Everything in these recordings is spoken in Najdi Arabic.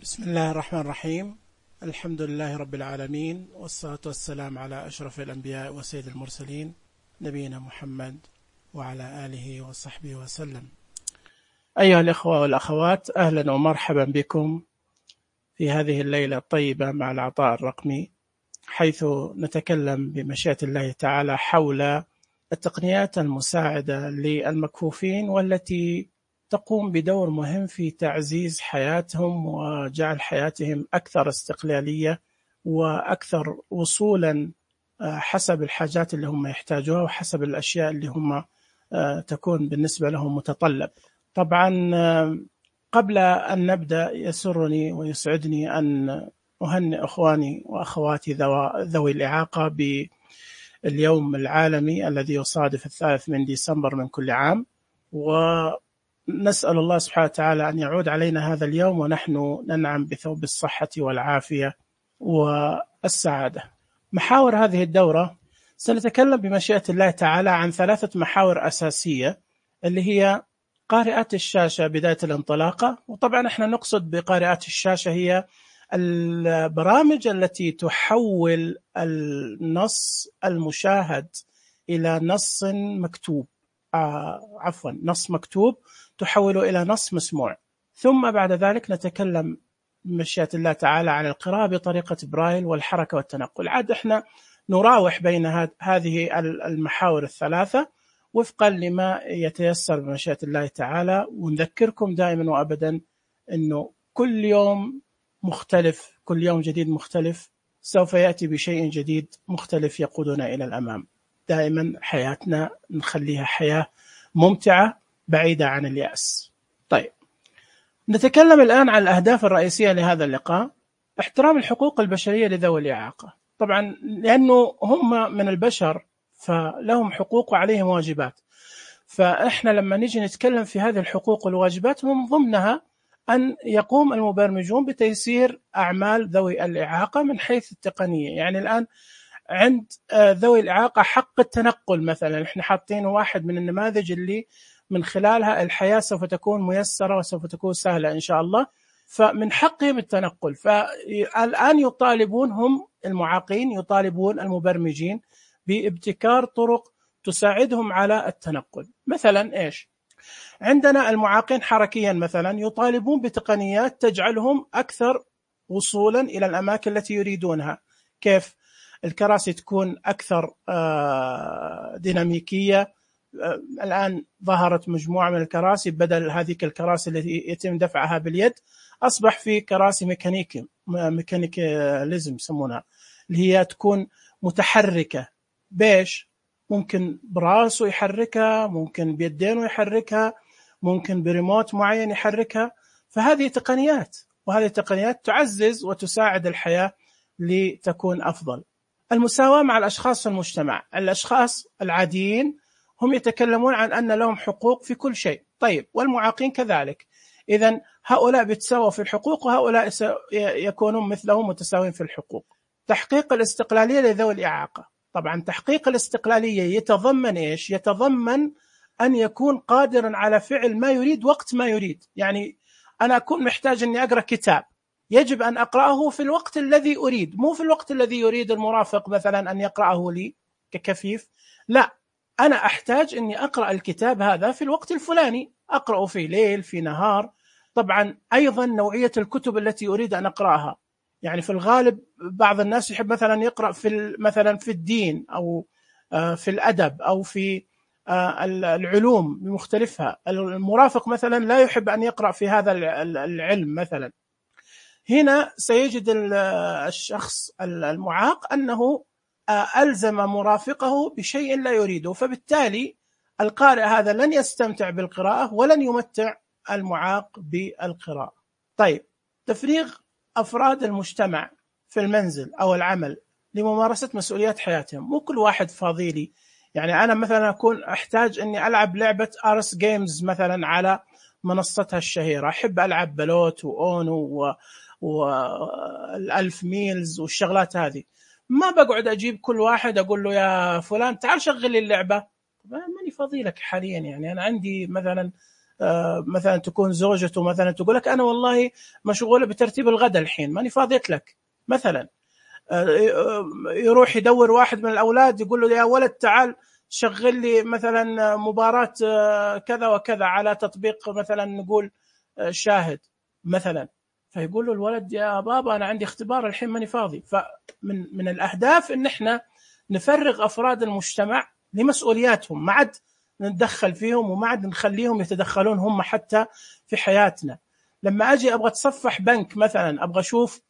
بسم الله الرحمن الرحيم. الحمد لله رب العالمين، والصلاة والسلام على أشرف الأنبياء وسيد المرسلين نبينا محمد وعلى آله وصحبه وسلم. أيها الإخوة والأخوات، أهلا ومرحبا بكم في هذه الليلة الطيبة مع العطاء الرقمي، حيث نتكلم بمشيئة الله تعالى حول التقنيات المساعدة للمكفوفين، والتي تقوم بدور مهم في تعزيز حياتهم وجعل حياتهم أكثر استقلالية وأكثر وصولا حسب الحاجات اللي هم يحتاجوها وحسب الأشياء اللي هم تكون بالنسبة لهم متطلب. طبعا قبل أن نبدأ يسرني ويسعدني أن أهنئ أخواني وأخواتي ذوي الإعاقة باليوم العالمي الذي يصادف 3 ديسمبر من كل عام، ونسأل الله سبحانه وتعالى أن يعود علينا هذا اليوم ونحن ننعم بثوب الصحة والعافية والسعادة. محاور هذه الدورة سنتكلم بمشيئة الله تعالى عن 3 محاور أساسية، اللي هي قارئات الشاشة بداية الانطلاقة. وطبعا احنا نقصد بقارئات الشاشة هي البرامج التي تحول النص المشاهد إلى نص مكتوب، نص مكتوب تحوله إلى نص مسموع. ثم بعد ذلك نتكلم بمشيئة الله تعالى عن القراءة بطريقة برايل والحركة والتنقل. عاد احنا نراوح بين هذه المحاور ال3 وفقا لما يتيسر بمشيئة الله تعالى، ونذكركم دائما وأبدا أنه كل يوم مختلف، كل يوم جديد مختلف سوف يأتي بشيء جديد مختلف يقودنا إلى الأمام. دائما حياتنا نخليها حياة ممتعة بعيدة عن اليأس. طيب، نتكلم الآن عن الأهداف الرئيسية لهذا اللقاء. احترام الحقوق البشرية لذوي الإعاقة، طبعا لأنه هم من البشر فلهم حقوق وعليهم واجبات، فإحنا لما نيجي نتكلم في هذه الحقوق والواجبات من ضمنها أن يقوم المبرمجون بتيسير أعمال ذوي الإعاقة من حيث التقنية. يعني الآن عند ذوي الإعاقة حق التنقل مثلا، احنا حاطين واحد من النماذج اللي من خلالها الحياة سوف تكون ميسرة وسوف تكون سهلة إن شاء الله، فمن حقهم التنقل. فالآن يطالبون هم المعاقين، يطالبون المبرمجين بابتكار طرق تساعدهم على التنقل. مثلا إيش؟ عندنا المعاقين حركيا مثلا يطالبون بتقنيات تجعلهم أكثر وصولا إلى الأماكن التي يريدونها. كيف؟ الكراسي تكون أكثر ديناميكية. الآن ظهرت مجموعة من الكراسي، بدل هذه الكراسي التي يتم دفعها باليد أصبح في كراسي ميكانيكاليزم يسمونها، اللي هي تكون متحركة. بيش؟ ممكن براسه يحركها، ممكن بيدينه يحركها، ممكن بريموت معين يحركها. فهذه تقنيات، وهذه التقنيات تعزز وتساعد الحياة لتكون أفضل. المساواة مع الأشخاص في المجتمع. الأشخاص العاديين هم يتكلمون عن أن لهم حقوق في كل شيء، طيب والمعاقين كذلك. إذن هؤلاء بيتساووا في الحقوق وهؤلاء يكونون مثلهم متساوين في الحقوق. تحقيق الاستقلالية لذوي الإعاقة. طبعا تحقيق الاستقلالية يتضمن إيش؟ يتضمن أن يكون قادرا على فعل ما يريد وقت ما يريد. يعني أنا أكون محتاج أني أقرأ كتاب، يجب أن أقرأه في الوقت الذي أريد، مو في الوقت الذي يريد المرافق مثلا أن يقرأه لي ككفيف. لا، أنا أحتاج أني أقرأ الكتاب هذا في الوقت الفلاني، أقرأه في ليل في نهار. طبعا أيضا نوعية الكتب التي أريد أن أقرأها. يعني في الغالب بعض الناس يحب مثلا يقرأ مثلا في الدين أو في الأدب أو في العلوم بمختلفها. المرافق مثلا لا يحب أن يقرأ في هذا العلم مثلا. هنا سيجد الشخص المعاق أنه ألزم مرافقه بشيء لا يريده، فبالتالي القارئ هذا لن يستمتع بالقراءة ولن يمتع المعاق بالقراءة. طيب، تفريغ أفراد المجتمع في المنزل أو العمل لممارسة مسؤوليات حياتهم. مو كل واحد فاضيلي. يعني أنا مثلا أكون أحتاج أني ألعب لعبة أرس جيمز مثلا على منصتها الشهيرة، أحب ألعب بلوت وأونو والألف ميلز والشغلات هذه. ما بقعد أجيب كل واحد أقول له يا فلان تعال شغل لي اللعبة، ماني فاضي لك حاليا. يعني أنا عندي مثلا مثلا تكون زوجته مثلا تقول لك أنا والله مشغولة بترتيب الغداء الحين ماني فاضيت لك مثلا. يروح يدور واحد من الأولاد يقول له يا ولد تعال شغل لي مثلا مباراة كذا وكذا على تطبيق مثلا نقول شاهد مثلا، فيقول له الولد يا بابا أنا عندي اختبار الحين ماني فاضي. فمن الأهداف إن إحنا نفرغ أفراد المجتمع لمسؤولياتهم، ما عاد نتدخل فيهم وما عاد نخليهم يتدخلون هم حتى في حياتنا. لما أجي أبغى أتصفح بنك مثلا، أبغى أشوف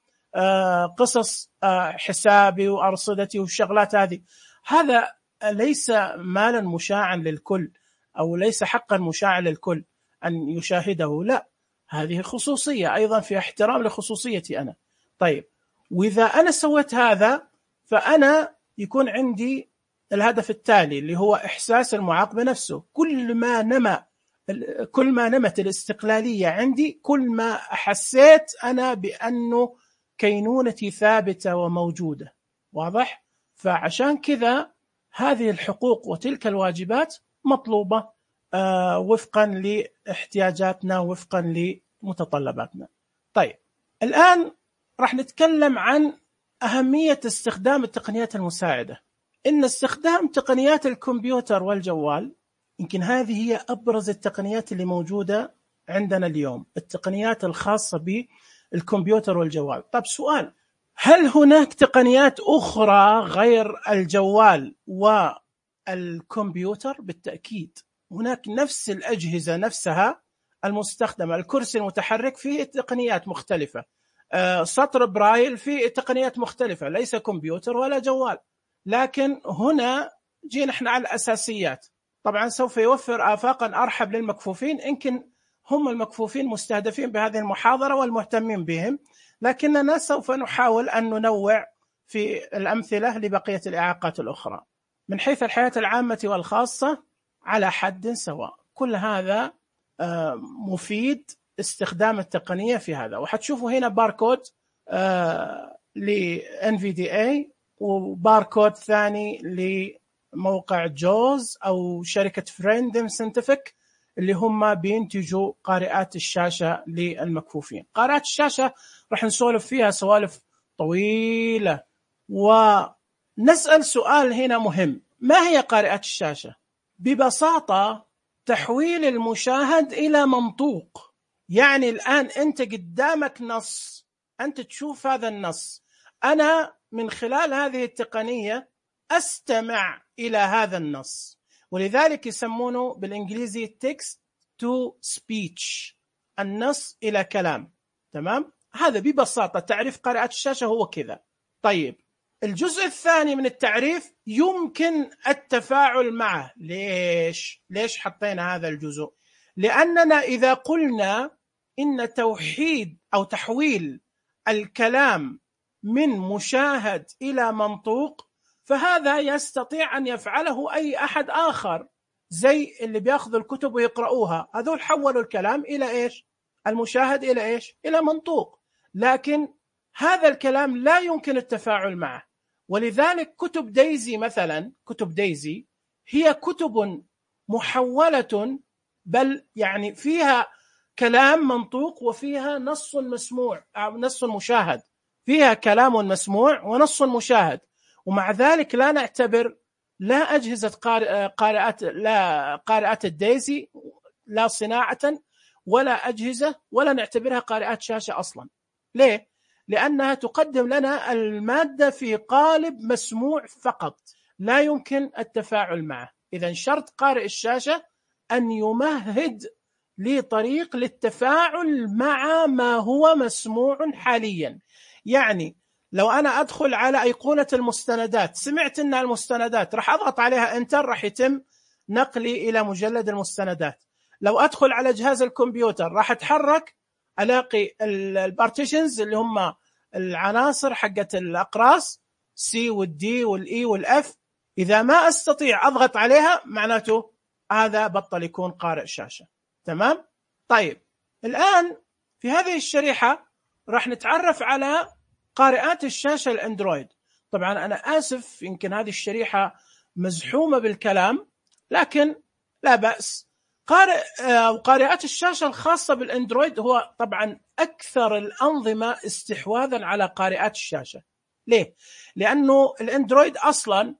قصص حسابي وأرصدتي والشغلات هذه، هذا ليس مالا مشاعا للكل أو ليس حقا مشاعا للكل أن يشاهده، لا، هذه خصوصية أيضا، في احترام لخصوصيتي أنا. طيب، وإذا أنا سويت هذا فأنا يكون عندي الهدف التالي اللي هو إحساس المعاقب نفسه. كل ما نمت الاستقلالية عندي، كل ما حسيت أنا بأنه كينونتي ثابتة وموجودة. واضح؟ فعشان كذا هذه الحقوق وتلك الواجبات مطلوبة وفقا لاحتياجاتنا وفقا لمتطلباتنا. طيب، الآن راح نتكلم عن أهمية استخدام التقنيات المساعدة. إن استخدام تقنيات الكمبيوتر والجوال يمكن هذه هي أبرز التقنيات اللي موجودة عندنا اليوم، التقنيات الخاصة بالكمبيوتر والجوال. طب سؤال، هل هناك تقنيات أخرى غير الجوال والكمبيوتر؟ بالتأكيد هناك. نفس الأجهزة نفسها المستخدمة، الكرسي المتحرك فيه تقنيات مختلفة، سطر برايل فيه تقنيات مختلفة، ليس كمبيوتر ولا جوال. لكن هنا جينا احنا على الأساسيات. طبعا سوف يوفر آفاقا أرحب للمكفوفين، يمكن هم المكفوفين مستهدفين بهذه المحاضرة والمهتمين بهم، لكننا سوف نحاول أن ننوع في الأمثلة لبقية الإعاقات الأخرى. من حيث الحياة العامة والخاصة على حد سواء، كل هذا مفيد استخدام التقنية في هذا. وحتشوفوا هنا باركود ل NVDA وباركود ثاني لموقع جوز أو شركة فريندم سنتفك اللي هم بينتجوا قارئات الشاشة للمكفوفين. قارئات الشاشة رح نسولف فيها سوالف طويلة، ونسأل سؤال هنا مهم: ما هي قارئات الشاشة؟ ببساطة تحويل المشاهد إلى منطوق. يعني الآن أنت قدامك نص، أنت تشوف هذا النص، أنا من خلال هذه التقنية أستمع إلى هذا النص، ولذلك يسمونه بالإنجليزي text to speech، النص إلى كلام. تمام؟ هذا ببساطة تعريف قارئات الشاشة هو كذا. طيب، الجزء الثاني من التعريف يمكن التفاعل معه. ليش حطينا هذا الجزء؟ لأننا إذا قلنا إن توحيد أو تحويل الكلام من مشاهد إلى منطوق، فهذا يستطيع أن يفعله أي أحد آخر، زي اللي بيأخذوا الكتب ويقرؤوها، هذول حولوا الكلام إلى إيش؟ المشاهد إلى إيش؟ إلى منطوق. لكن هذا الكلام لا يمكن التفاعل معه، ولذلك كتب دايزي مثلا، كتب دايزي هي كتب محولة، بل يعني فيها كلام منطوق وفيها نص مسموع أو نص مشاهد، فيها كلام مسموع ونص مشاهد. ومع ذلك لا نعتبر لا أجهزة قارئات الدايزي لا صناعة ولا أجهزة، ولا نعتبرها قارئات شاشة أصلا. ليه؟ لأنها تقدم لنا المادة في قالب مسموع فقط، لا يمكن التفاعل معه. إذن شرط قارئ الشاشة أن يمهد لي طريق للتفاعل مع ما هو مسموع حاليا. يعني لو أنا أدخل على أيقونة المستندات، سمعت أن المستندات راح أضغط عليها انتر، راح يتم نقلي إلى مجلد المستندات. لو أدخل على جهاز الكمبيوتر راح أتحرك، ألاقي البارتيشنز اللي هم العناصر حقت الأقراص C والD والE والF، إذا ما أستطيع أضغط عليها معناته هذا بطل يكون قارئ شاشة. تمام؟ طيب، الآن في هذه الشريحة راح نتعرف على قارئات الشاشة الأندرويد. طبعا أنا آسف، يمكن هذه الشريحة مزحومة بالكلام، لكن لا بأس، قارئات الشاشة الخاصة بالأندرويد هو طبعا أكثر الأنظمة استحواذا على قارئات الشاشة. ليه؟ لأنه الأندرويد أصلا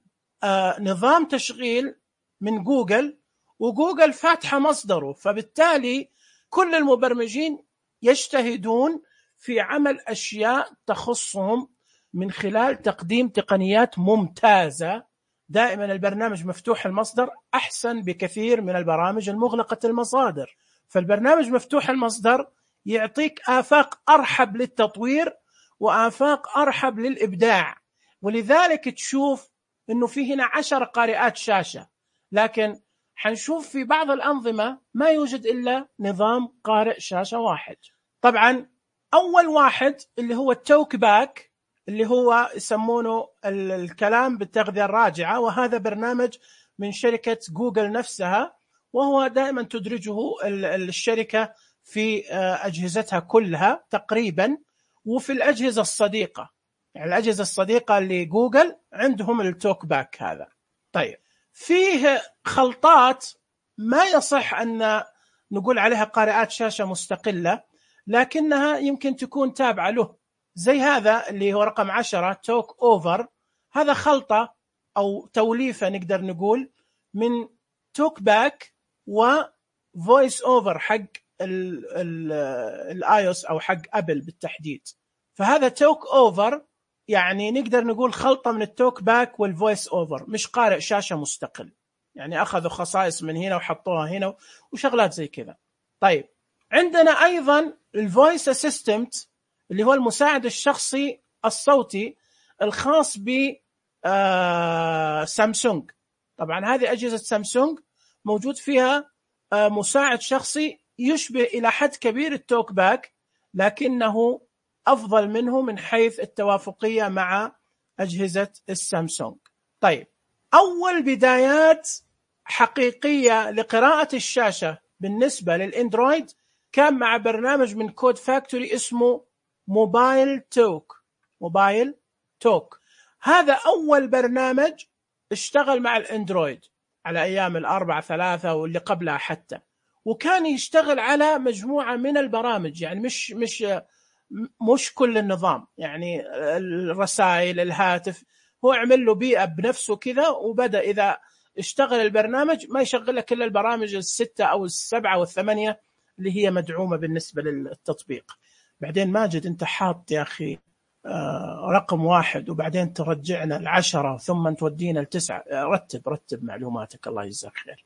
نظام تشغيل من جوجل، وجوجل فاتحة مصدره، فبالتالي كل المبرمجين يجتهدون في عمل أشياء تخصهم من خلال تقديم تقنيات ممتازة. دائما البرنامج مفتوح المصدر أحسن بكثير من البرامج المغلقة المصادر، فالبرنامج مفتوح المصدر يعطيك آفاق أرحب للتطوير وآفاق أرحب للإبداع. ولذلك تشوف أنه في هنا 10 قارئات شاشة، لكن حنشوف في بعض الأنظمة ما يوجد إلا نظام قارئ شاشة واحد. طبعا أول واحد اللي هو التوك باك، اللي هو يسمونه الكلام بالتغذية الراجعة، وهذا برنامج من شركة جوجل نفسها، وهو دائما تدرجه الشركة في أجهزتها كلها تقريبا، وفي الأجهزة الصديقة، يعني الأجهزة الصديقة لجوجل عندهم التوك باك هذا. طيب فيه خلطات ما يصح أن نقول عليها قارئات شاشة مستقلة، لكنها يمكن تكون تابعة له، زي هذا اللي هو رقم 10 توك أوفر. هذا خلطة أو توليفة نقدر نقول من توك باك وفويس أوفر حق الآيوس أو حق أبل بالتحديد. فهذا توك أوفر يعني نقدر نقول خلطة من التوك باك والفويس أوفر، مش قارئ شاشة مستقل، يعني أخذوا خصائص من هنا وحطوها هنا وشغلات زي كذا. طيب عندنا أيضا الفويس أسيستنت اللي هو المساعد الشخصي الصوتي الخاص ب سامسونج. طبعا هذه أجهزة سامسونج موجود فيها مساعد شخصي يشبه إلى حد كبير التوك باك، لكنه أفضل منه من حيث التوافقية مع أجهزة السامسونج. طيب أول بدايات حقيقية لقراءة الشاشة بالنسبة للإندرويد كان مع برنامج من كود فاكتوري اسمه موبايل توك. هذا أول برنامج اشتغل مع الإندرويد على أيام 4.3 واللي قبلها حتى، وكان يشتغل على مجموعة من البرامج، يعني مش كل النظام، يعني الرسائل، الهاتف، هو عمل له بيئة بنفسه كذا، وبدأ إذا اشتغل البرنامج ما يشغل لك إلا البرامج 6 أو 7 و8 اللي هي مدعومة بالنسبة للتطبيق. بعدين ماجد أنت حاط يا أخي رقم 1 وبعدين ترجعنا 10 ثم تودينا 9. رتب معلوماتك الله يجزاك خير.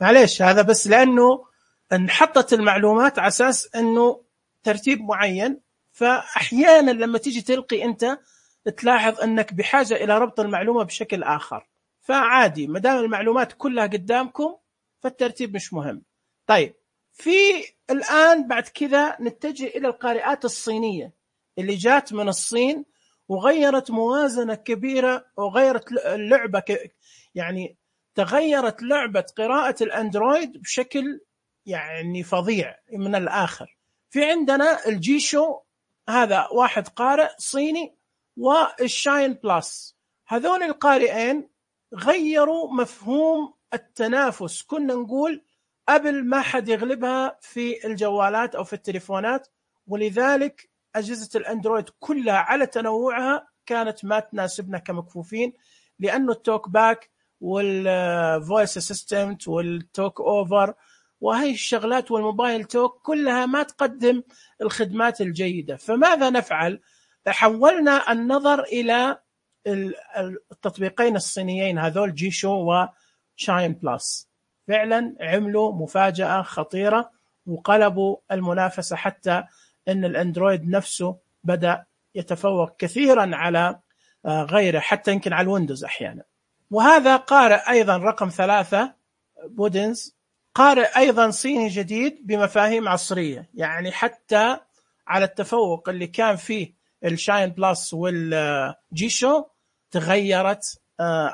معليش هذا بس لأنه انحطت المعلومات على أساس أنه ترتيب معين، فأحيانا لما تيجي تلقي أنت تلاحظ أنك بحاجة إلى ربط المعلومة بشكل آخر، فعادي مدام المعلومات كلها قدامكم فالترتيب مش مهم. طيب في الآن بعد كذا نتجه إلى القارئات الصينية اللي جات من الصين وغيرت موازنة كبيرة وغيرت اللعبة، يعني تغيرت لعبة قراءة الأندرويد بشكل يعني فظيع من الآخر. في عندنا الجيشو، هذا واحد قارئ صيني، والشاين بلس. هذول القارئين غيروا مفهوم التنافس. كنا نقول أبل ما حد يغلبها في الجوالات أو في التليفونات، ولذلك أجهزة الأندرويد كلها على تنوعها كانت ما تناسبنا كمكفوفين، لأنه التوك باك والفويس اسيستنت والتوك أوفر وهي الشغلات والموبايل توك كلها ما تقدم الخدمات الجيدة. فماذا نفعل؟ حولنا النظر إلى التطبيقين الصينيين هذول جيشو وشاين بلس. فعلا عملوا مفاجأة خطيرة وقلبوا المنافسة، حتى أن الأندرويد نفسه بدأ يتفوق كثيرا على غيره، حتى يمكن على الويندوز أحيانا. وهذا قارئ أيضا رقم 3 بودنز، قارئ أيضا صيني جديد بمفاهيم عصرية، يعني حتى على التفوق اللي كان فيه الشاين بلس والجيشو تغيرت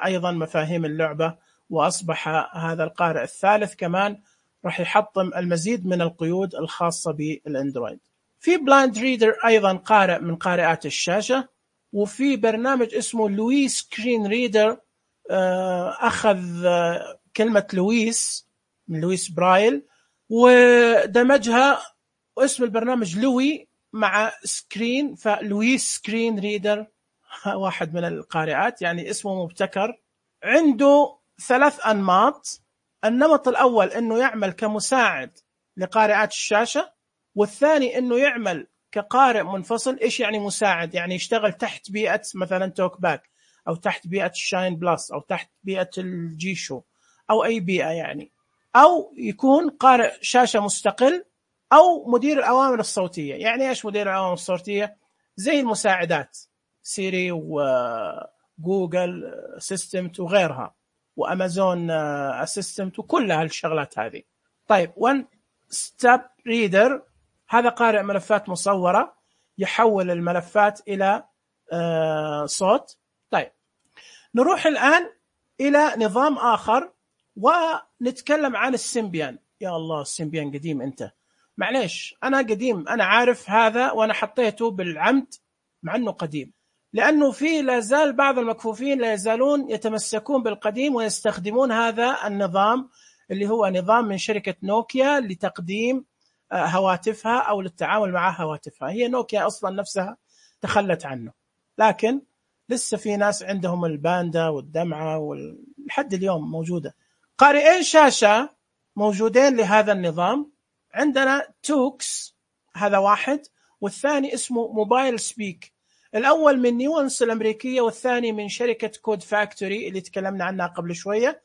أيضا مفاهيم اللعبة، وأصبح هذا القارئ الثالث كمان راح يحطم المزيد من القيود الخاصة بالأندرويد. في بلايند ريدر أيضا قارئ من قارئات الشاشة، وفي برنامج اسمه لويس سكرين ريدر أخذ كلمة لويس من لويس برايل، ودمجها واسم البرنامج لوي مع سكرين، فلويس سكرين ريدر. واحد من القارئات، يعني اسمه مبتكر. عنده 3 أنماط. النمط الأول أنه يعمل كمساعد لقارئات الشاشة، والثاني أنه يعمل كقارئ منفصل. إيش يعني مساعد؟ يعني يشتغل تحت بيئة مثلا توك باك، أو تحت بيئة الشاين بلس، أو تحت بيئة الجي شو، أو أي بيئة يعني. أو يكون قارئ شاشة مستقل، أو مدير الأوامر الصوتية. يعني إيش مدير الأوامر الصوتية؟ زي المساعدات سيري وجوجل أسيستنت وغيرها، وأمازون أسيستنت، وكل هالشغلات هذه. طيب، وان ستيب ريدر هذا قارئ ملفات مصورة، يحول الملفات إلى صوت. طيب، نروح الآن إلى نظام آخر ونتكلم عن السيمبيان. يا الله، السيمبيان قديم أنت. معليش، أنا قديم، أنا عارف هذا، وأنا حطيته بالعمد مع أنه قديم، لأنه في لا زال بعض المكفوفين لا يزالون يتمسكون بالقديم ويستخدمون هذا النظام، اللي هو نظام من شركة نوكيا لتقديم هواتفها أو للتعامل مع هواتفها. هي نوكيا أصلا نفسها تخلت عنه، لكن لسه في ناس عندهم الباندا والدمعة ولحد اليوم موجودة. قارئين شاشة موجودين لهذا النظام. عندنا توكس، هذا واحد، والثاني اسمه موبايل سبيك. الأول من نيوانس الأمريكية، والثاني من شركة كود فاكتوري اللي تكلمنا عنها قبل شوية.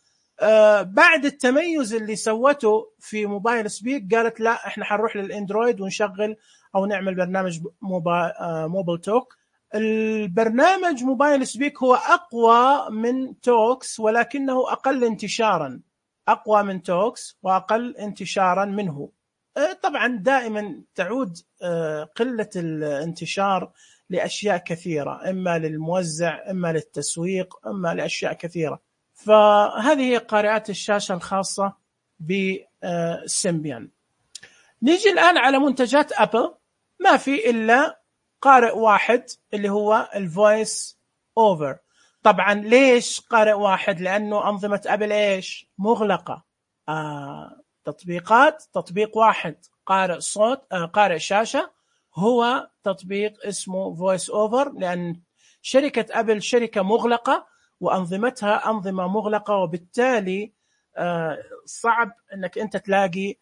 بعد التميز اللي سوته في موبايل سبيك، قالت لا، احنا حنروح للإندرويد ونشغل أو نعمل برنامج موبايل توك. البرنامج موبايل سبيك هو أقوى من توكس، ولكنه أقل انتشارا. أقوى من توكس وأقل انتشارا منه. طبعا دائما تعود قلة الانتشار لأشياء كثيرة، إما للموزع، إما للتسويق، إما لأشياء كثيرة. فهذه هي قارئات الشاشة الخاصة بسيمبيان. نيجي الآن على منتجات أبل. ما في إلا قارئ واحد اللي هو الفويس أوفر. طبعا ليش قارئ واحد؟ لأنه أنظمة أبل إيش؟ مغلقة. تطبيق واحد قارئ صوت، قارئ شاشة، هو تطبيق اسمه فويس أوفر، لأن شركة أبل شركة مغلقة وأنظمتها أنظمة مغلقة، وبالتالي صعب أنك أنت تلاقي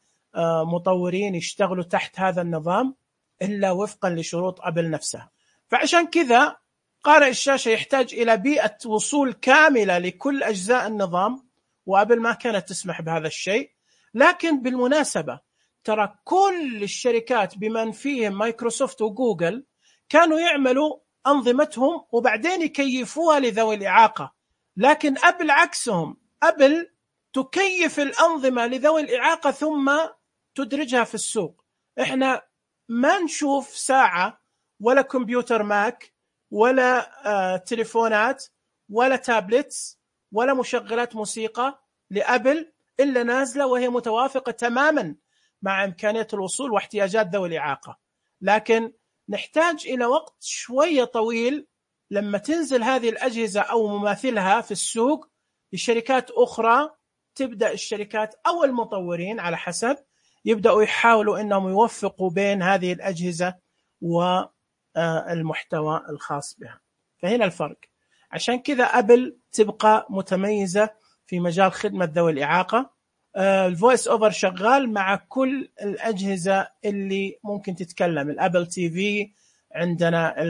مطورين يشتغلوا تحت هذا النظام إلا وفقا لشروط أبل نفسها. فعشان كذا قارئ الشاشة يحتاج إلى بيئة وصول كاملة لكل أجزاء النظام، وأبل ما كانت تسمح بهذا الشيء. لكن بالمناسبة ترى كل الشركات بمن فيهم مايكروسوفت وجوجل كانوا يعملوا أنظمتهم وبعدين يكيفوها لذوي الإعاقة، لكن أبل عكسهم. أبل تكيف الأنظمة لذوي الإعاقة ثم تدرجها في السوق. إحنا ما نشوف ساعة ولا كمبيوتر ماك ولا تليفونات ولا تابلتس ولا مشغلات موسيقى لأبل إلا نازلة وهي متوافقة تماما مع إمكانية الوصول واحتياجات ذوي الإعاقة. لكن نحتاج إلى وقت شوية طويل لما تنزل هذه الأجهزة أو مماثلها في السوق لشركات أخرى. تبدأ الشركات أو المطورين على حسب يبدأوا يحاولوا أنهم يوفقوا بين هذه الأجهزة والمحتوى الخاص بها. فهنا الفرق. عشان كذا أبل تبقى متميزة في مجال خدمة ذوي الإعاقة. الفويس أوفر شغال مع كل الأجهزة اللي ممكن تتكلم. الأبل تي في، عندنا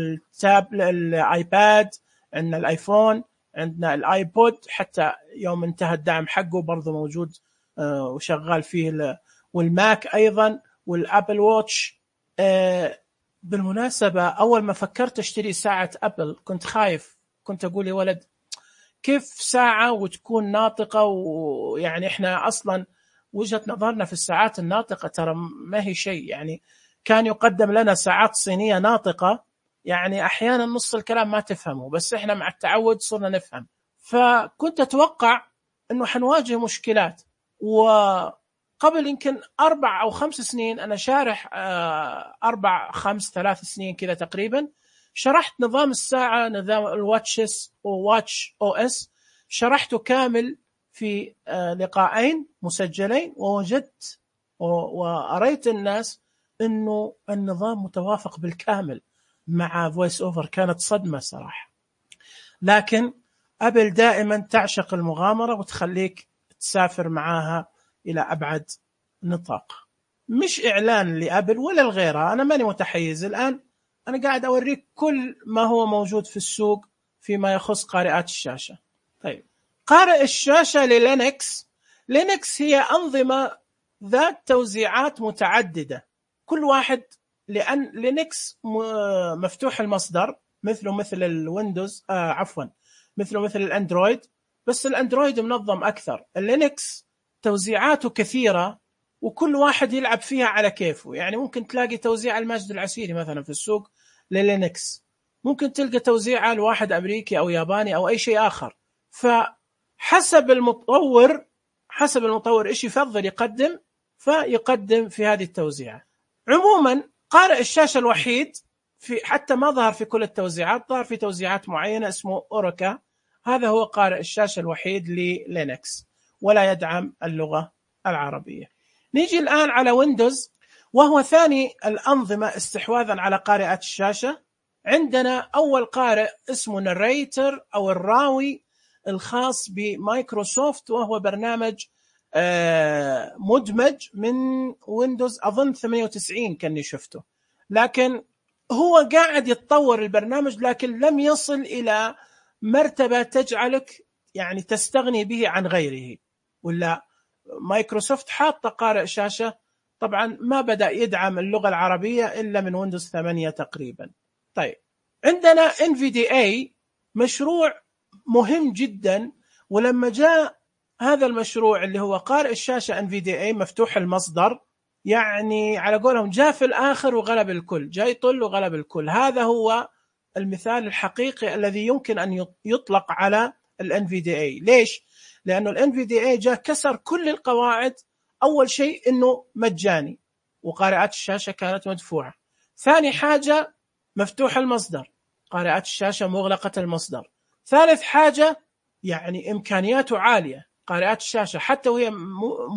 الآيباد، عندنا الآيفون، عندنا الآيبود، حتى يوم انتهى الدعم حقه برضو موجود وشغال فيه، والماك أيضا، والأبل واتش. بالمناسبة أول ما فكرت أشتري ساعة أبل كنت خايف، كنت أقول يا ولد كيف ساعة وتكون ناطقة؟ ويعني إحنا أصلا وجهة نظرنا في الساعات الناطقة ترى ما هي شيء. يعني كان يقدم لنا ساعات صينية ناطقة، يعني أحيانا نص الكلام ما تفهمه، بس إحنا مع التعود صرنا نفهم. فكنت أتوقع أنه حنواجه مشكلات. وقبل يمكن 4 أو 5 سنين أنا شارح 3 سنين كذا تقريبا، شرحت نظام الساعة، نظام الواتشز وواتش او اس، شرحته كامل في لقاءين مسجلين، ووجدت وأريت الناس أنه النظام متوافق بالكامل مع فويس أوفر. كانت صدمة صراحة. لكن أبل دائما تعشق المغامرة وتخليك تسافر معاها إلى أبعد نطاق. مش إعلان لأبل ولا الغيرها، أنا ماني متحيز الآن، أنا قاعد أوريك كل ما هو موجود في السوق فيما يخص قارئات الشاشة. طيب، قارئ الشاشة للينكس. لينكس هي أنظمة ذات توزيعات متعددة، كل واحد، لأن لينكس مفتوح المصدر مثل الويندوز، مثل الأندرويد، بس الأندرويد منظم أكثر. اللينكس توزيعاته كثيرة وكل واحد يلعب فيها على كيفه. يعني ممكن تلاقي توزيع الماجد العسيري مثلا في السوق للينكس، ممكن تلقى توزيعه لواحد أمريكي أو ياباني أو أي شيء آخر. فحسب المطور إيش يفضل يقدم فيقدم في هذه التوزيعات. عموما قارئ الشاشة الوحيد حتى ما ظهر في كل التوزيعات، ظهر في توزيعات معينة، اسمه أوروكا. هذا هو قارئ الشاشة الوحيد للينكس ولا يدعم اللغة العربية. نيجي الآن على ويندوز، وهو ثاني الأنظمة استحواذا على قارئات الشاشة. عندنا أول قارئ اسمه ناريتر أو الراوي الخاص بمايكروسوفت، وهو برنامج مدمج من ويندوز أظن 98 كاني شفته، لكن هو قاعد يتطور البرنامج، لكن لم يصل إلى مرتبة تجعلك يعني تستغني به عن غيره. ولا مايكروسوفت حاطة قارئ شاشة طبعا ما بدأ يدعم اللغة العربية إلا من ويندوز 8 تقريبا. طيب، عندنا NVDA، مشروع مهم جدا، ولما جاء هذا المشروع اللي هو قارئ الشاشة NVDA مفتوح المصدر، يعني على قولهم جاء في الآخر وغلب الكل، جاء يطل وغلب الكل. هذا هو المثال الحقيقي الذي يمكن أن يطلق على NVDA. ليش؟ لأنه NVDA جاء كسر كل القواعد. أول شيء أنه مجاني وقارئات الشاشة كانت مدفوعة. ثاني حاجة مفتوح المصدر، قارئات الشاشة مغلقة المصدر. ثالث حاجة يعني إمكانياته عالية، قارئات الشاشة حتى وهي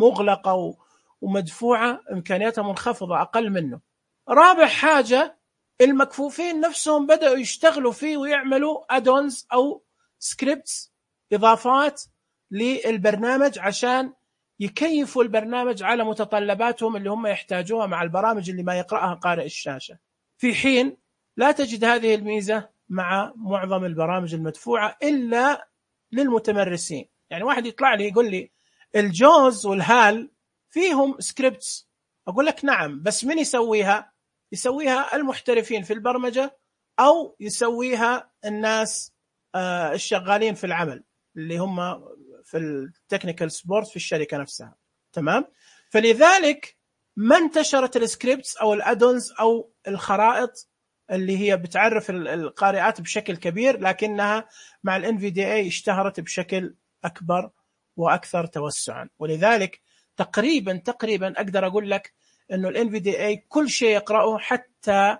مغلقة ومدفوعة إمكانياتها منخفضة أقل منه. رابع حاجة المكفوفين نفسهم بدأوا يشتغلوا فيه ويعملوا أدونز أو سكريبتس، إضافات للبرنامج عشان يكيفوا البرنامج على متطلباتهم اللي هم يحتاجوها مع البرامج اللي ما يقرأها قارئ الشاشة، في حين لا تجد هذه الميزة مع معظم البرامج المدفوعة إلا للمتمرسين. يعني واحد يطلع لي يقول لي الجوز والهال فيهم سكريبتس، أقول لك نعم، بس من يسويها؟ يسويها المحترفين في البرمجة أو يسويها الناس الشغالين في العمل اللي هم في التكنيكال سبورت في الشركة نفسها. تمام؟ فلذلك ما انتشرت السكريبتس أو الأدونز أو الخرائط اللي هي بتعرف القارئات بشكل كبير، لكنها مع ال NVDA اشتهرت بشكل أكبر وأكثر توسعا. ولذلك تقريبا أقدر أقول لك أنه ال NVDA كل شيء يقرأه، حتى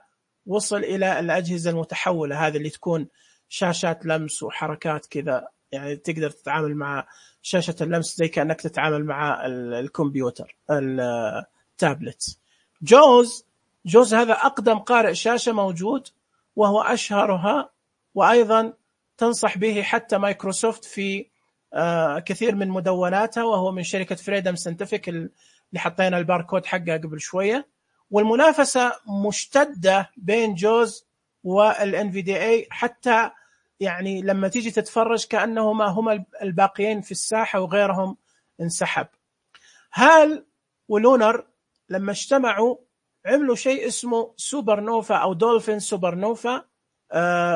وصل إلى الأجهزة المتحولة هذه اللي تكون شاشات لمس وحركات كذا، يعني تقدر تتعامل مع شاشة اللمس زي كأنك تتعامل مع الكمبيوتر التابلت. جوز هذا أقدم قارئ شاشة موجود وهو أشهرها، وأيضا تنصح به حتى مايكروسوفت في كثير من مدوناتها، وهو من شركة فريدم سنتفيك اللي حطينا الباركود حقها قبل شوية. والمنافسة مشتدة بين جوز والNVDA، حتى يعني لما تيجي تتفرج كأنهما هما الباقيين في الساحة وغيرهم انسحب. هال ولونر لما اجتمعوا عملوا شيء اسمه سوبر نوفا أو دولفين سوبر نوفا،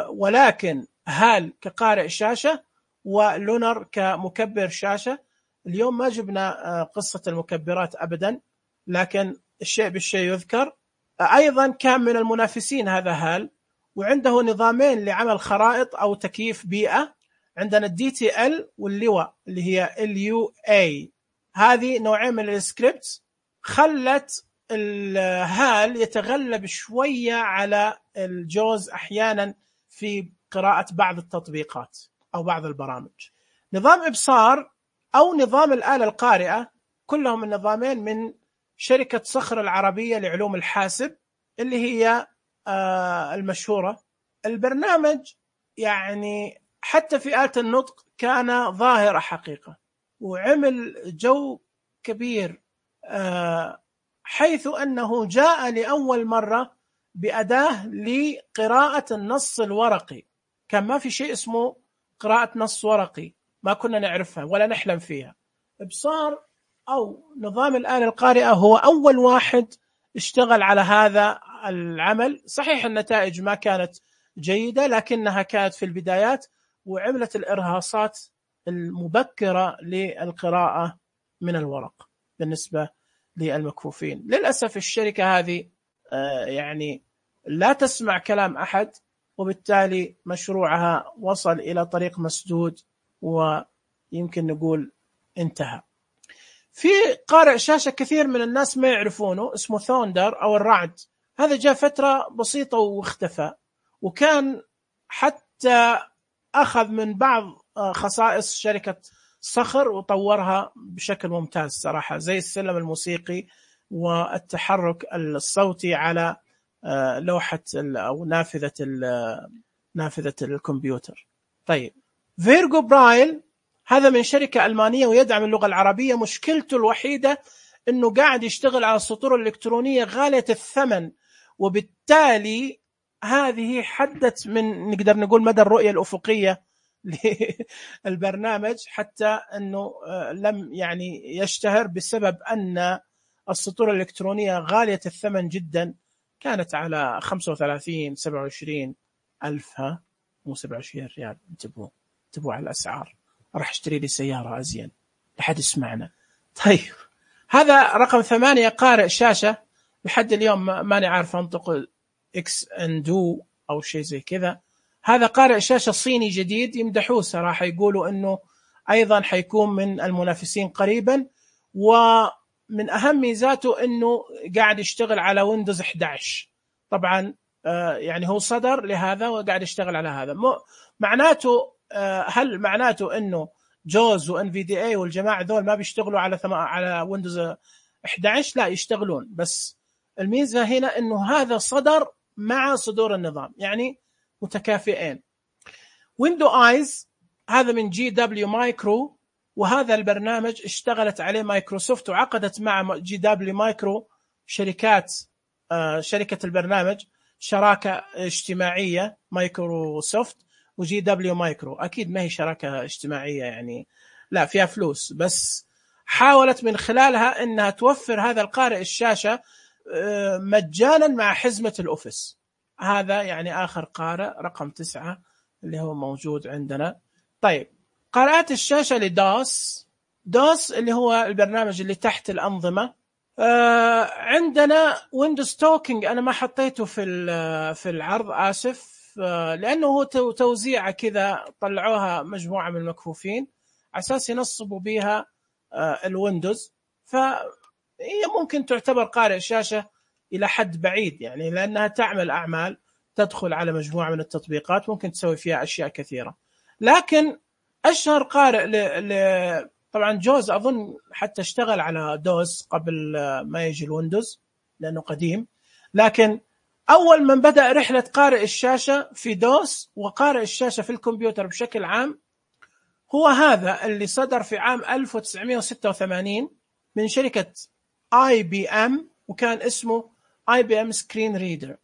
ولكن هال كقارئ شاشة ولونر كمكبر شاشة. اليوم ما جبنا قصة المكبرات أبدا، لكن الشيء بالشيء يذكر. أيضا كان من المنافسين هذا هال، وعنده نظامين لعمل خرائط أو تكييف بيئة. عندنا DTL واللواء اللي هي LUA. هذه نوعين من السكريبت خلت الهال يتغلب شوية على الجوز أحيانا في قراءة بعض التطبيقات أو بعض البرامج. نظام إبصار أو نظام الآلة القارئة، كلهم النظامين من شركة صخر العربية لعلوم الحاسب اللي هي المشهورة. البرنامج يعني حتى في آلة النطق كان ظاهرة حقيقة، وعمل جو كبير حيث أنه جاء لأول مرة بأداة لقراءة النص الورقي. كان ما في شيء اسمه قراءة نص ورقي، ما كنا نعرفها ولا نحلم فيها. إبصار أو نظام الآلة القارئة هو أول واحد اشتغل على هذا العمل. صحيح النتائج ما كانت جيدة، لكنها كانت في البدايات، وعملت الإرهاصات المبكرة للقراءة من الورق بالنسبة للمكفوفين. للأسف الشركة هذه يعني لا تسمع كلام أحد، وبالتالي مشروعها وصل إلى طريق مسدود، ويمكن نقول انتهى. في قارئ شاشة كثير من الناس ما يعرفونه اسمه ثوندر أو الرعد. هذا جاء فترة بسيطة واختفى، وكان حتى أخذ من بعض خصائص شركة صخر وطورها بشكل ممتاز صراحة، زي السلم الموسيقي والتحرك الصوتي على لوحة أو نافذة الكمبيوتر. طيب، فيرجو برايل هذا من شركة ألمانية ويدعم اللغة العربية. مشكلته الوحيدة أنه قاعد يشتغل على السطور الإلكترونية غالية الثمن، وبالتالي هذه حدت من نقدر نقول مدى الرؤية الأفقية للبرنامج، حتى أنه لم يعني يشتهر بسبب أن السطور الإلكترونية غالية الثمن جدا. كانت على 35-27 ألف، مو 27 ريال. انتبهوا على الأسعار، راح اشتري لي سيارة أزين لحد يسمعنا. طيب، هذا رقم 8 قارئ شاشة. لحد اليوم ماني عارف أنطق إكس أندو أو شيء زي كذا. هذا قارئ شاشة صيني جديد، يمدحوه صراحة، يقولوا أنه أيضا حيكون من المنافسين قريبا، ومن أهم ميزاته أنه قاعد يشتغل على ويندوز 11. طبعا يعني هو صدر لهذا وقاعد يشتغل على هذا. معناته هل معناته أنه جوز وNVDA والجماعة ذول ما بيشتغلوا على ويندوز 11؟ لا، يشتغلون، بس الميزة هنا أنه هذا صدر مع صدور النظام، يعني متكافئين. ويندو آيز هذا من GW مايكرو، وهذا البرنامج اشتغلت عليه مايكروسوفت، وعقدت مع GW مايكرو شركة البرنامج شراكة اجتماعية، مايكروسوفت وGW مايكرو. أكيد ما هي شراكة اجتماعية يعني، لا فيها فلوس، بس حاولت من خلالها أنها توفر هذا القارئ الشاشة مجانا مع حزمة الأوفيس. هذا يعني آخر قارئ رقم 9 اللي هو موجود عندنا. طيب، قارئات الشاشة دوس اللي هو البرنامج اللي تحت الأنظمة. عندنا ويندوز توكينج، أنا ما حطيته في العرض، آسف، لأنه هو توزيعة كذا، طلعوها مجموعة من المكفوفين على أساس ينصبوا بها الويندوز، فهي ممكن تعتبر قارئ شاشة إلى حد بعيد يعني، لأنها تعمل أعمال، تدخل على مجموعة من التطبيقات، ممكن تسوي فيها أشياء كثيرة. لكن أشهر قارئ طبعا جوز أظن حتى اشتغل على دوس قبل ما يجي الويندوز لأنه قديم، لكن أول من بدأ رحلة قارئ الشاشة في دوس وقارئ الشاشة في الكمبيوتر بشكل عام هو هذا اللي صدر في عام 1986 من شركة IBM، وكان اسمه IBM Screen Reader.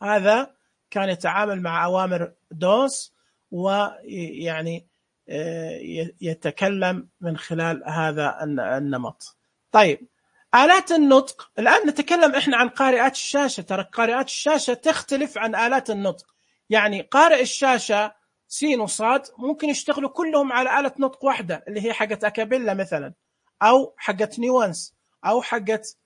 هذا كان يتعامل مع أوامر دوس، ويعني يتكلم من خلال هذا النمط. طيب، آلات النطق، الآن نتكلم إحنا عن قارئات الشاشة. ترى قارئات الشاشة تختلف عن آلات النطق، يعني قارئ الشاشة سين وصاد ممكن يشتغلوا كلهم على آلة نطق واحدة اللي هي حقت أكابيلا مثلا، أو حقت نيوانس، أو حقت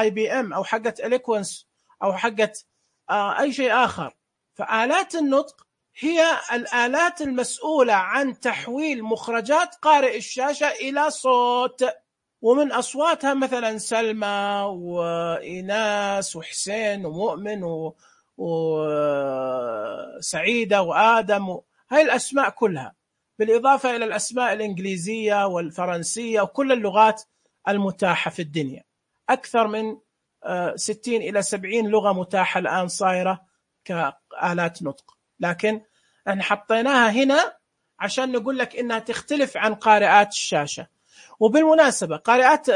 IBM، أو حقت إليكوانس، أو حقت أي شيء آخر. فآلات النطق هي الآلات المسؤولة عن تحويل مخرجات قارئ الشاشة إلى صوت، ومن أصواتها مثلا سلمى وإيناس وحسين ومؤمن وسعيدة وآدم، هاي الأسماء كلها. بالإضافة إلى الأسماء الإنجليزية والفرنسية وكل اللغات المتاحة في الدنيا. أكثر من 60 إلى 70 لغة متاحة الآن صايرة كآلات نطق، لكن احنا حطيناها هنا عشان نقول لك إنها تختلف عن قارئات الشاشة. وبالمناسبة قارئات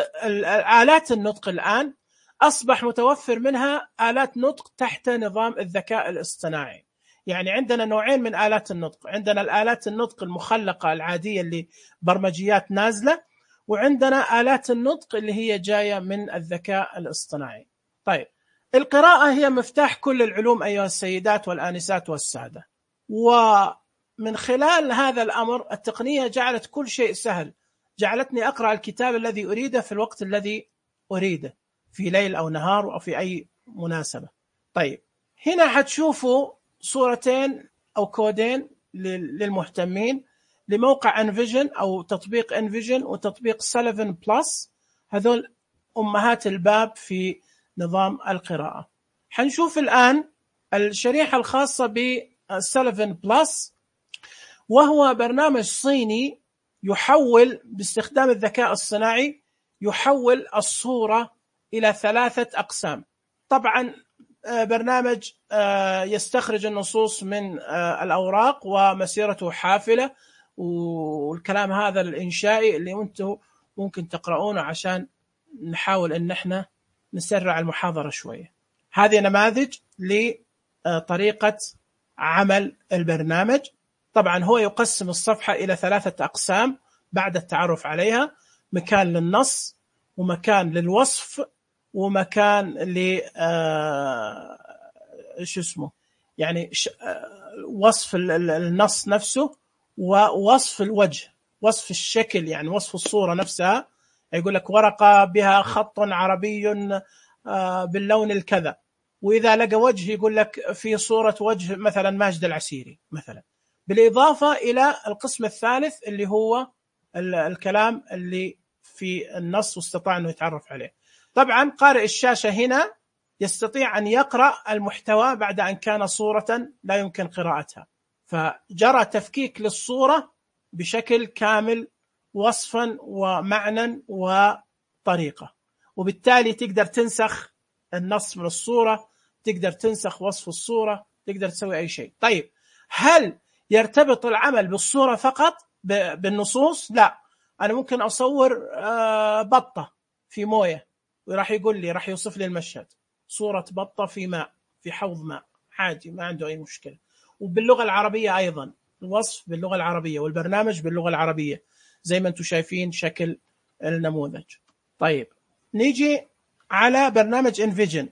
آلات النطق الآن أصبح متوفر منها آلات نطق تحت نظام الذكاء الاصطناعي. يعني عندنا نوعين من آلات النطق، عندنا الآلات النطق المخلقة العادية اللي برمجيات نازلة، وعندنا آلات النطق اللي هي جاية من الذكاء الاصطناعي. طيب، القراءة هي مفتاح كل العلوم أيها السيدات والآنسات والسادة، ومن خلال هذا الأمر التقنية جعلت كل شيء سهل، جعلتني أقرأ الكتاب الذي أريده في الوقت الذي أريده، في ليل أو نهار أو في أي مناسبة. طيب، هنا حتشوفوا صورتين أو كودين للمهتمين لموقع انفيجن أو تطبيق انفيجن وتطبيق سليفن بلس، هذول أمهات الباب في نظام القراءة. حنشوف الآن الشريحة الخاصة بسليفن بلس، وهو برنامج صيني يحول باستخدام الذكاء الصناعي، يحول الصورة إلى 3 أقسام. طبعا برنامج يستخرج النصوص من الأوراق ومسيرته حافلة، والكلام هذا الإنشائي اللي أنتم ممكن تقرؤونه عشان نحاول أن احنا نسرع المحاضرة شوية. هذه نماذج لطريقة عمل البرنامج. طبعا هو يقسم الصفحة إلى 3 أقسام بعد التعرف عليها: مكان للنص، ومكان للوصف، ومكان ل يعني وصف النص نفسه، ووصف الوجه، وصف الشكل، يعني وصف الصورة نفسها. يقول لك ورقة بها خط عربي باللون الكذا، وإذا لقى وجه يقول لك في صورة وجه مثلا ماجد العسيري مثلا. بالإضافة إلى القسم الثالث اللي هو الكلام اللي في النص واستطاع أنه يتعرف عليه. طبعا قارئ الشاشة هنا يستطيع أن يقرأ المحتوى بعد أن كان صورة لا يمكن قراءتها، فجرى تفكيك للصورة بشكل كامل وصفا ومعنى وطريقة، وبالتالي تقدر تنسخ النص من الصورة، تقدر تنسخ وصف الصورة، تقدر تسوي أي شيء. طيب، هل يرتبط العمل بالصورة فقط بالنصوص؟ لا، أنا ممكن أصور بطة في موية وراح يقول لي، راح يوصف لي المشهد، صورة بطة في ماء، في حوض ماء، عادي، ما عنده أي مشكلة. وباللغة العربية أيضا، الوصف باللغة العربية والبرنامج باللغة العربية زي ما أنتم شايفين شكل النموذج. طيب، نيجي على برنامج انفيجن.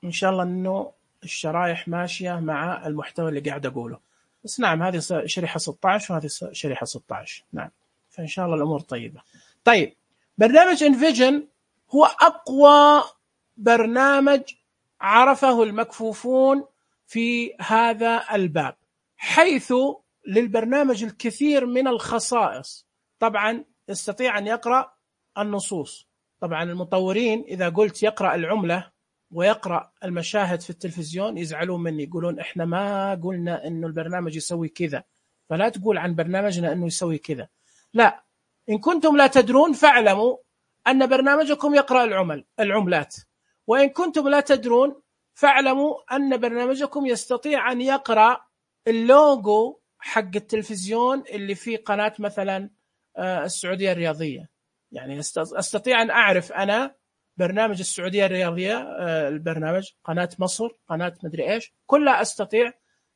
إن شاء الله أنه الشرائح ماشية مع المحتوى اللي قاعد أقوله، بس نعم هذه شريحة 16 وهذه شريحة 16، نعم، فإن شاء الله الأمور طيبة. طيب، برنامج انفيجن هو أقوى برنامج عرفه المكفوفون في هذا الباب، حيث للبرنامج الكثير من الخصائص. طبعا يستطيع أن يقرأ النصوص. طبعا المطورين إذا قلت يقرأ العملة ويقرأ المشاهد في التلفزيون يزعلون مني، يقولون إحنا ما قلنا إنه البرنامج يسوي كذا، فلا تقول عن برنامجنا إنه يسوي كذا. لا، إن كنتم لا تدرون فاعلموا أن برنامجكم يقرأ العملات، وإن كنتم لا تدرون فاعلموا أن برنامجكم يستطيع أن يقرأ اللوجو حق التلفزيون اللي فيه قناة مثلا السعودية الرياضية. يعني أستطيع أن أعرف أنا برنامج السعودية الرياضية، البرنامج قناة مصر، قناة مدري إيش، كلها أستطيع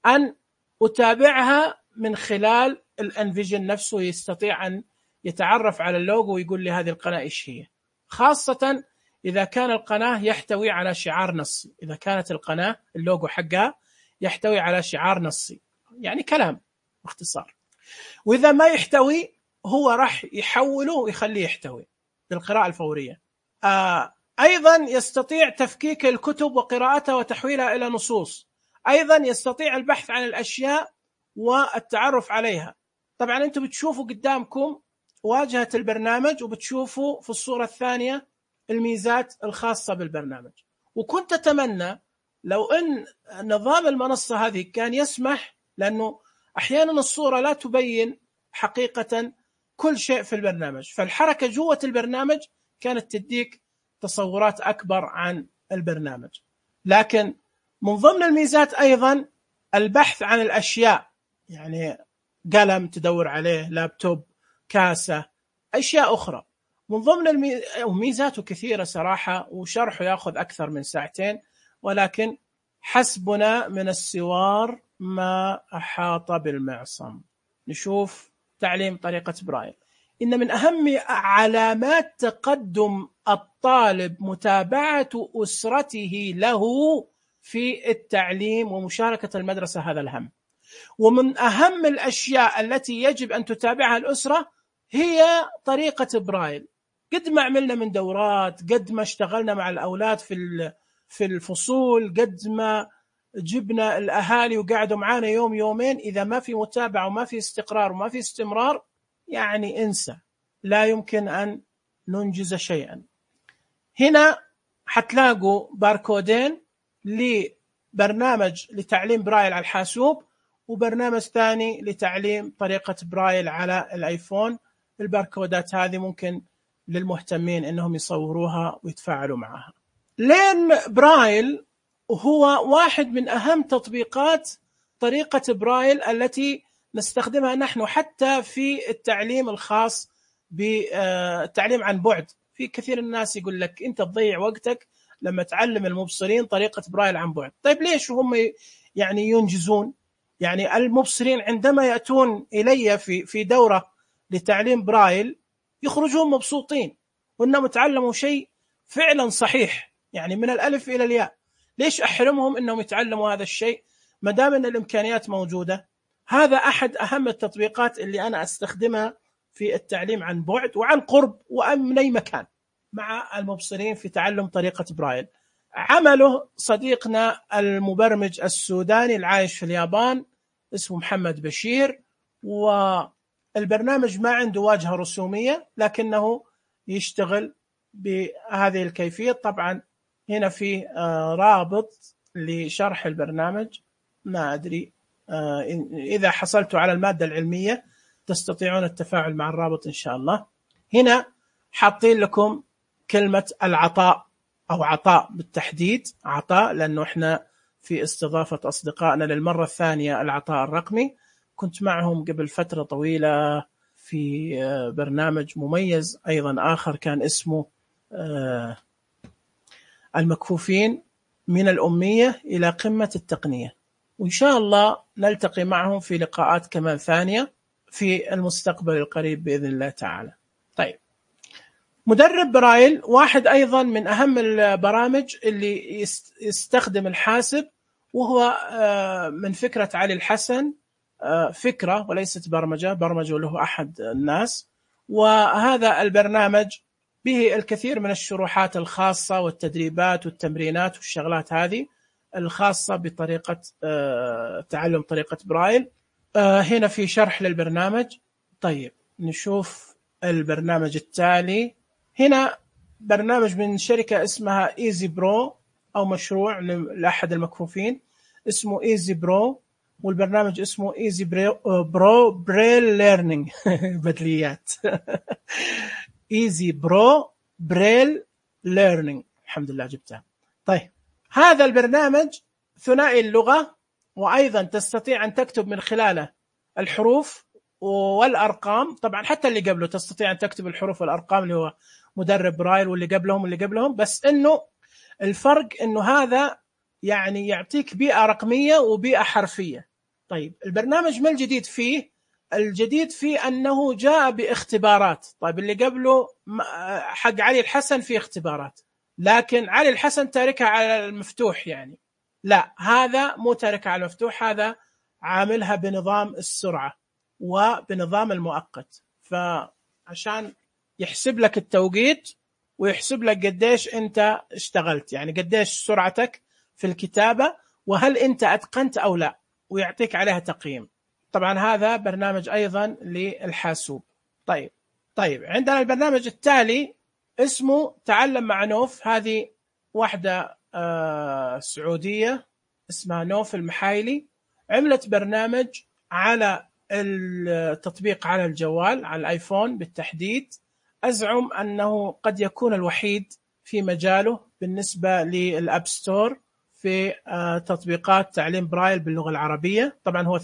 أن أتابعها من خلال الانفيجن نفسه. يستطيع أن يتعرف على اللوجو ويقول لي هذه القناة إيش هي، خاصة إذا كان القناة يحتوي على شعار نصي. إذا كانت القناة اللوجو حقها يحتوي على شعار نصي، يعني كلام باختصار. وإذا ما يحتوي هو راح يحوله ويخليه يحتوي بالقراءة الفورية. أيضا يستطيع تفكيك الكتب وقراءتها وتحويلها إلى نصوص. أيضا يستطيع البحث عن الأشياء والتعرف عليها. طبعا أنتم بتشوفوا قدامكم واجهة البرنامج، وبتشوفوا في الصورة الثانية الميزات الخاصة بالبرنامج. وكنت أتمنى لو أن نظام المنصة هذه كان يسمح، لأنه أحيانا الصورة لا تبين حقيقة كل شيء في البرنامج، فالحركة جوة البرنامج كانت تديك تصورات أكبر عن البرنامج. لكن من ضمن الميزات أيضا البحث عن الأشياء، يعني قلم تدور عليه، لابتوب، كاسة، أشياء أخرى. من ضمن ميزاته كثيرة صراحة، وشرحه يأخذ أكثر من ساعتين، ولكن حسبنا من السوار ما أحاط بالمعصم. نشوف تعليم طريقة برايل. إن من أهم علامات تقدم الطالب متابعة أسرته له في التعليم ومشاركة المدرسة، هذا الهم. ومن أهم الأشياء التي يجب أن تتابعها الأسرة هي طريقة برايل. قد ما عملنا من دورات، قد ما اشتغلنا مع الأولاد في الفصول، قد ما جبنا الأهالي وقعدوا معانا يوم يومين، إذا ما في متابعة وما في استقرار وما في استمرار، يعني انسى، لا يمكن أن ننجز شيئا. هنا حتلاقوا باركودين لبرنامج لتعليم برايل على الحاسوب، وبرنامج ثاني لتعليم طريقة برايل على الآيفون. الباركودات هذه ممكن للمهتمين أنهم يصوروها ويتفاعلوا معها. لين برايل هو واحد من أهم تطبيقات طريقة برايل التي نستخدمها نحن حتى في التعليم الخاص بالتعليم عن بعد. في كثير الناس يقول لك أنت تضيع وقتك لما تعلم المبصرين طريقة برايل عن بعد. طيب ليش هم يعني ينجزون؟ يعني المبصرين عندما يأتون إلي في دورة لتعليم برايل يخرجون مبسوطين وأنهم تعلموا شيء فعلا صحيح، يعني من الألف إلى الياء. ليش أحرمهم أنهم يتعلموا هذا الشيء ما دام أن الإمكانيات موجودة؟ هذا أحد أهم التطبيقات اللي أنا أستخدمها في التعليم عن بعد وعن قرب ومن أي مكان مع المبصرين في تعلم طريقة برايل. عمله صديقنا المبرمج السوداني العايش في اليابان اسمه محمد بشير، والبرنامج ما عنده واجهة رسومية لكنه يشتغل بهذه الكيفية. طبعا هنا في رابط لشرح البرنامج، ما أدري إذا حصلتوا على المادة العلمية تستطيعون التفاعل مع الرابط إن شاء الله. هنا حاطين لكم كلمة العطاء أو عطاء بالتحديد، عطاء لأنه إحنا في استضافة أصدقائنا للمرة الثانية العطاء الرقمي. كنت معهم قبل فترة طويلة في برنامج مميز أيضا آخر كان اسمه المكفوفين من الأمية إلى قمة التقنية، وإن شاء الله نلتقي معهم في لقاءات كمان ثانية في المستقبل القريب بإذن الله تعالى. طيب، مدرب برايل واحد أيضا من أهم البرامج اللي يستخدم الحاسب، وهو من فكرة علي الحسن، فكرة وليست برمجة له أحد الناس. وهذا البرنامج به الكثير من الشروحات الخاصة والتدريبات والتمرينات والشغلات هذه الخاصة بطريقة تعلم طريقة برايل. هنا في شرح للبرنامج. طيب نشوف البرنامج التالي. هنا برنامج من شركة اسمها إيزي برو، أو مشروع لأحد المكفوفين اسمه إيزي برو، والبرنامج اسمه إيزي برو بريل ليرنينج بدليات إيزي برو بريل ليرنينج، الحمد لله جبتها. طيب، هذا البرنامج ثنائي اللغة، وأيضا تستطيع أن تكتب من خلاله الحروف والأرقام. طبعا حتى اللي قبله تستطيع أن تكتب الحروف والأرقام اللي هو مدرب برايل، واللي قبلهم، بس إنه الفرق إنه هذا يعني يعطيك بيئة رقمية وبيئة حرفية. طيب، البرنامج ما الجديد فيه؟ الجديد فيه أنه جاء باختبارات. طيب، اللي قبله حق علي الحسن فيه اختبارات، لكن علي الحسن تاركها على المفتوح، يعني لا، هذا مو تاركها على المفتوح، هذا عاملها بنظام السرعة وبنظام المؤقت، فعشان يحسب لك التوقيت ويحسب لك قديش أنت اشتغلت، يعني قديش سرعتك في الكتابة وهل أنت أتقنت أو لا، ويعطيك عليها تقييم. طبعا هذا برنامج أيضا للحاسوب. طيب عندنا البرنامج التالي اسمه تعلم مع نوف. هذه واحدة سعودية اسمها نوف المحايلي، عملت برنامج على التطبيق على الجوال، على الآيفون بالتحديد، أزعم أنه قد يكون الوحيد في مجاله بالنسبة للأب ستور في تطبيقات تعليم برايل باللغة العربية. طبعا هو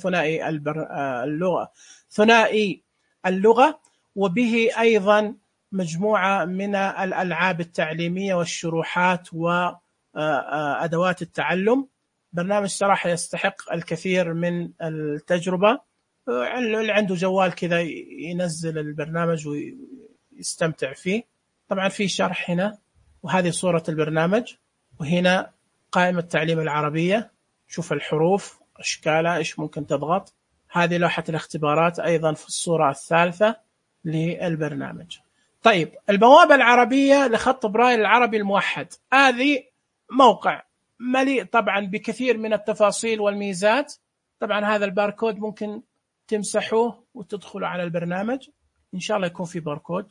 ثنائي اللغة، وبه أيضا مجموعة من الألعاب التعليمية والشروحات وأدوات التعلم. برنامج صراحة يستحق الكثير من التجربة. اللي عنده جوال كذا ينزل البرنامج ويستمتع فيه. طبعا في شرح هنا، وهذه صورة البرنامج، وهنا قائمة تعليم العربية. شوف الحروف أشكالها إيش ممكن تضغط. هذه لوحة الاختبارات أيضا في الصورة الثالثة للبرنامج. طيب، البوابة العربية لخط برايل العربي الموحد، هذه موقع مليء طبعا بكثير من التفاصيل والميزات. طبعا هذا الباركود ممكن تمسحوه وتدخلوا على البرنامج، إن شاء الله يكون في باركود.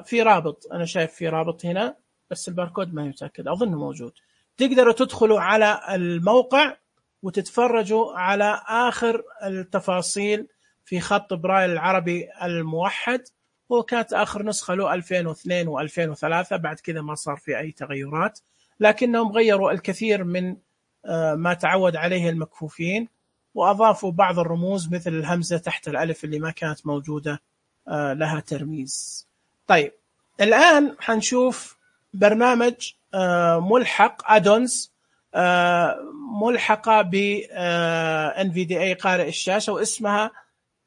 في رابط، أنا شايف في رابط هنا بس الباركود ما متأكد، أظنه موجود. تقدروا تدخلوا على الموقع وتتفرجوا على آخر التفاصيل في خط برايل العربي الموحد. وكانت آخر نسخة له 2002 و2003، بعد كذا ما صار في أي تغيرات، لكنهم غيروا الكثير من ما تعود عليه المكفوفين، وأضافوا بعض الرموز مثل الهمزة تحت الألف اللي ما كانت موجودة لها ترميز. طيب، الآن حنشوف برنامج ملحق أدونز ملحقة ب NVDA قارئ الشاشة، واسمها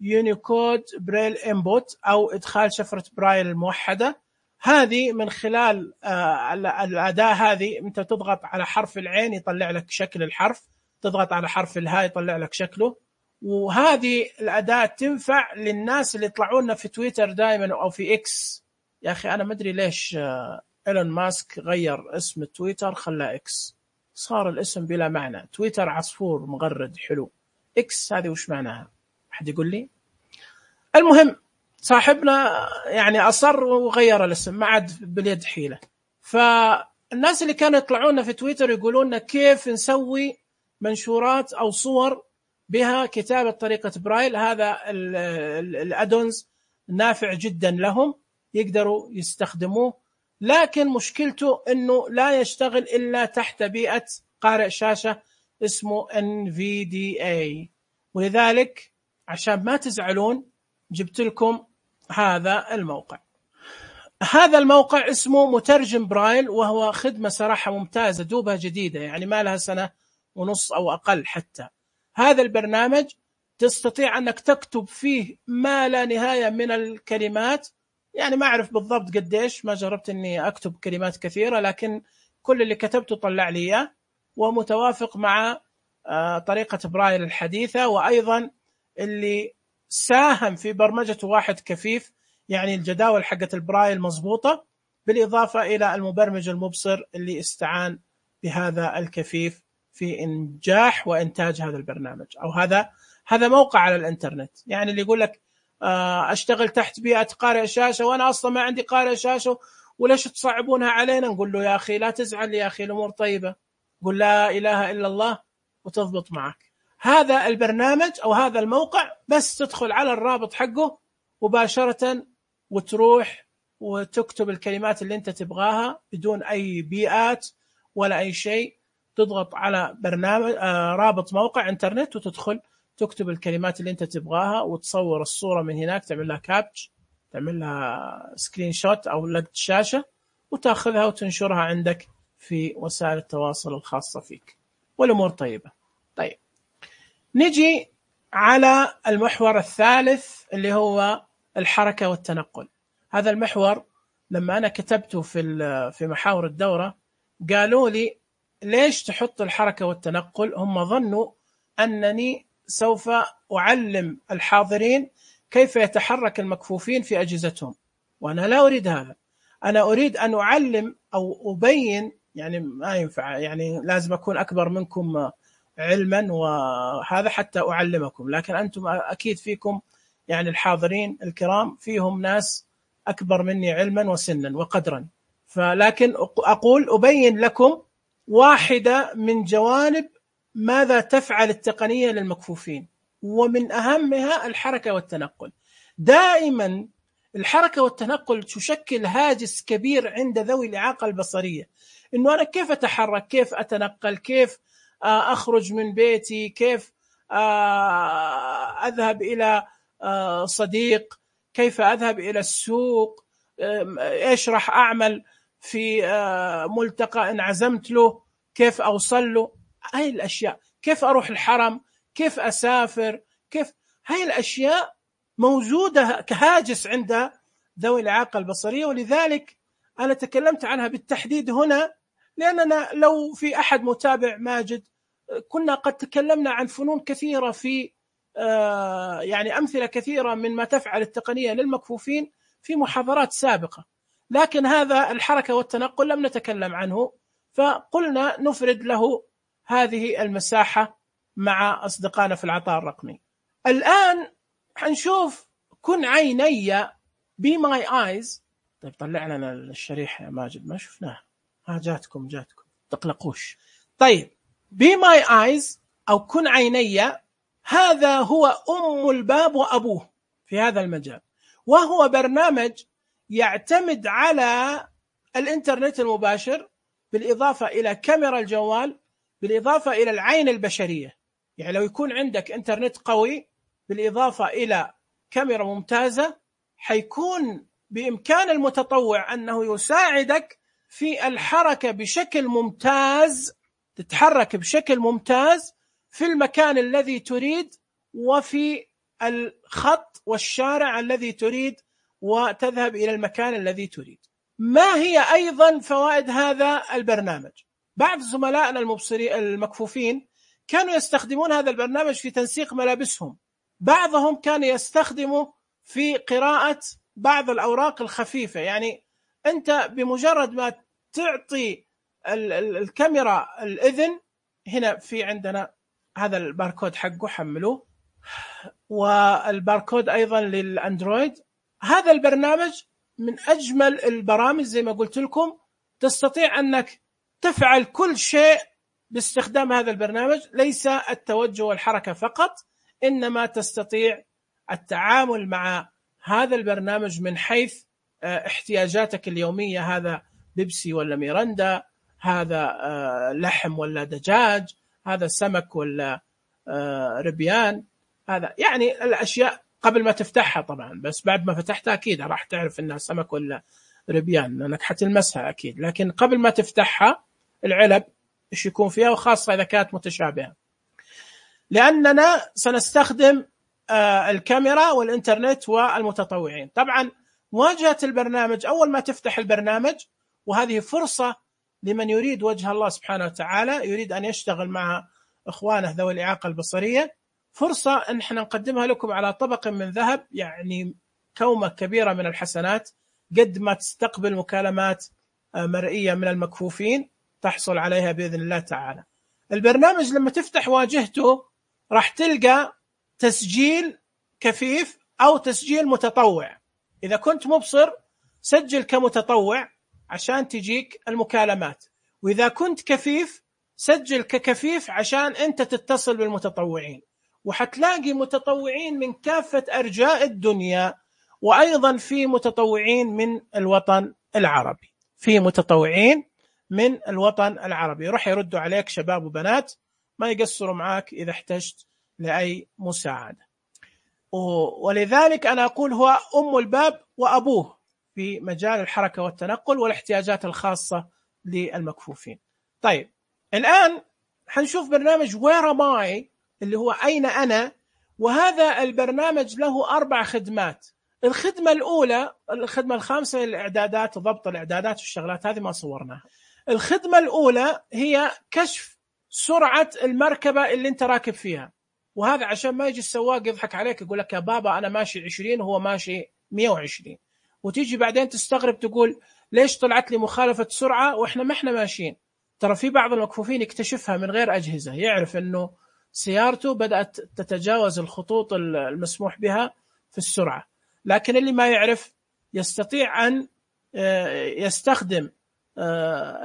يونيكود برايل إنبوت أو إدخال شفرة برايل الموحدة. هذه من خلال الأداة هذه أنت تضغط على حرف العين يطلع لك شكل الحرف، تضغط على حرف الهاء يطلع لك شكله. وهذه الأداة تنفع للناس اللي يطلعون في تويتر دائما أو في إكس. يا أخي أنا ما أدري ليش إيلون ماسك غير اسم تويتر خلاه إكس، صار الاسم بلا معنى. تويتر عصفور مغرد حلو، إكس هذه وش معناها؟ أحد يقول لي؟ المهم صاحبنا يعني أصر وغير الاسم، ما عاد باليد حيلة. فالناس اللي كانوا يطلعون في تويتر يقولون كيف نسوي منشورات أو صور بها كتابة طريقة برايل. هذا الأدونز نافع جدا لهم، يقدروا يستخدموه، لكن مشكلته أنه لا يشتغل إلا تحت بيئة قارئ شاشة اسمه NVDA. ولذلك عشان ما تزعلون جبت لكم هذا الموقع. هذا الموقع اسمه مترجم برايل، وهو خدمة صراحة ممتازة، دوبها جديدة، يعني ما لها سنة ونص أو أقل حتى. هذا البرنامج تستطيع أنك تكتب فيه ما لا نهاية من الكلمات، يعني ما أعرف بالضبط قديش، ما جربت أني أكتب كلمات كثيرة، لكن كل اللي كتبته طلع لي إياه، ومتوافق مع طريقة برايل الحديثة. وأيضا اللي ساهم في برمجة واحد كفيف، يعني الجداول حقت البرايل مضبوطة، بالإضافة إلى المبرمج المبصر اللي استعان بهذا الكفيف في إنجاح وإنتاج هذا البرنامج. أو هذا موقع على الإنترنت، يعني اللي يقول لك أشتغل تحت بيئة قارئ شاشة وأنا أصلا ما عندي قارئ شاشة وليش تصعبونها علينا؟ نقول له يا أخي لا تزعل يا أخي، الأمور طيبة، قل لا إله إلا الله وتضبط معك. هذا البرنامج أو هذا الموقع بس تدخل على الرابط حقه مباشرة وتروح وتكتب الكلمات اللي أنت تبغاها بدون أي بيئات ولا أي شيء. تضغط على برنامج رابط موقع إنترنت وتدخل تكتب الكلمات اللي أنت تبغاها، وتصور الصورة من هناك، تعمل لها كابتش، تعمل لها سكرين شوت أو لقط شاشة، وتأخذها وتنشرها عندك في وسائل التواصل الخاصة فيك، والأمور طيبة. طيب، نجي على المحور الثالث اللي هو الحركة والتنقل. هذا المحور لما أنا كتبته في محاور الدورة قالوا لي ليش تحط الحركة والتنقل؟ هم ظنوا أنني سوف أعلم الحاضرين كيف يتحرك المكفوفين في أجهزتهم، وأنا لا أريد هذا. أنا أريد أن أعلم أو أبين، يعني ما ينفع، يعني لازم أكون أكبر منكم علما وهذا حتى أعلمكم، لكن أنتم أكيد فيكم، يعني الحاضرين الكرام فيهم ناس أكبر مني علما وسنا وقدرا، فلكن أقول أبين لكم واحدة من جوانب ماذا تفعل التقنية للمكفوفين. ومن أهمها الحركة والتنقل. دائما الحركة والتنقل تشكل هاجس كبير عند ذوي الإعاقة البصرية، إنه أنا كيف أتحرك، كيف أتنقل، كيف أخرج من بيتي، كيف أذهب إلى صديق، كيف أذهب إلى السوق، إيش راح أعمل في ملتقى إن عزمت له، كيف أوصل له، هاي الأشياء، كيف أروح الحرم، كيف أسافر، كيف، هاي الأشياء موجودة كهاجس عند ذوي الإعاقة البصرية. ولذلك أنا تكلمت عنها بالتحديد هنا، لأننا لو في أحد متابع ماجد كنا قد تكلمنا عن فنون كثيرة في يعني أمثلة كثيرة من ما تفعل التقنية للمكفوفين في محاضرات سابقة، لكن هذا الحركة والتنقل لم نتكلم عنه، فقلنا نفرد له هذه المساحة مع أصدقائنا في العطاء الرقمي. الآن حنشوف كن عيني be my eyes. طيب طلع لنا الشريحة يا ماجد، ما شفناها. جاتكم تقلقوش. طيب be my eyes أو كن عيني، هذا هو أم الباب وأبوه في هذا المجال، وهو برنامج يعتمد على الإنترنت المباشر بالإضافة إلى كاميرا الجوال، بالإضافة إلى العين البشرية. يعني لو يكون عندك إنترنت قوي بالإضافة إلى كاميرا ممتازة، حيكون بإمكان المتطوع أنه يساعدك في الحركة بشكل ممتاز، تتحرك بشكل ممتاز في المكان الذي تريد وفي الخط والشارع الذي تريد، وتذهب إلى المكان الذي تريد. ما هي أيضا فوائد هذا البرنامج؟ بعض زملائنا المكفوفين كانوا يستخدمون هذا البرنامج في تنسيق ملابسهم، بعضهم كان يستخدمه في قراءة بعض الأوراق الخفيفة. يعني أنت بمجرد ما تعطي الكاميرا الإذن، هنا في عندنا هذا الباركود حقه، حملوه، والباركود أيضا للأندرويد. هذا البرنامج من أجمل البرامج، زي ما قلت لكم تستطيع أنك تفعل كل شيء باستخدام هذا البرنامج، ليس التوجه والحركة فقط، إنما تستطيع التعامل مع هذا البرنامج من حيث احتياجاتك اليومية. هذا بيبسي ولا ميرندا، هذا لحم ولا دجاج، هذا سمك ولا ربيان، هذا يعني الأشياء قبل ما تفتحها طبعا، بس بعد ما فتحتها أكيد راح تعرف إنها سمك ولا ربيان لأنك حتلمسها أكيد، لكن قبل ما تفتحها العلب إيش يكون فيها، وخاصة إذا كانت متشابهة. لأننا سنستخدم الكاميرا والإنترنت والمتطوعين. طبعا واجهة البرنامج أول ما تفتح البرنامج، وهذه فرصة لمن يريد وجه الله سبحانه وتعالى، يريد أن يشتغل مع إخوانه ذوي الإعاقة البصرية، فرصة أن احنا نقدمها لكم على طبق من ذهب، يعني كومة كبيرة من الحسنات، قد ما تستقبل مكالمات مرئية من المكفوفين تحصل عليها بإذن الله تعالى. البرنامج لما تفتح واجهته راح تلقى تسجيل كفيف أو تسجيل متطوع. إذا كنت مبصر سجل كمتطوع عشان تجيك المكالمات، وإذا كنت كفيف سجل ككفيف عشان أنت تتصل بالمتطوعين. وحتلاقي متطوعين من كافة أرجاء الدنيا، وأيضا في متطوعين من الوطن العربي، راح يردوا عليك شباب وبنات، ما يقصروا معاك إذا احتجت لأي مساعدة. ولذلك أنا أقول هو أم الباب وأبوه في مجال الحركة والتنقل والاحتياجات الخاصة للمكفوفين. طيب الآن حنشوف برنامج Where Am I اللي هو أين أنا، وهذا البرنامج له 4 خدمات. الخدمة الأولى، الخدمة الخامسة الإعدادات، ضبط الإعدادات والشغلات هذه ما صورناها. الخدمة الأولى هي كشف سرعة المركبة اللي انت راكب فيها، وهذا عشان ما يجي السواق يضحك عليك يقول لك يا بابا أنا ماشي 20 وهو ماشي 120، وتيجي بعدين تستغرب تقول ليش طلعت لي مخالفة سرعة وإحنا ما إحنا ماشيين. ترى في بعض المكفوفين يكتشفها من غير أجهزة، يعرف أنه سيارته بدأت تتجاوز الخطوط المسموح بها في السرعة، لكن اللي ما يعرف يستطيع أن يستخدم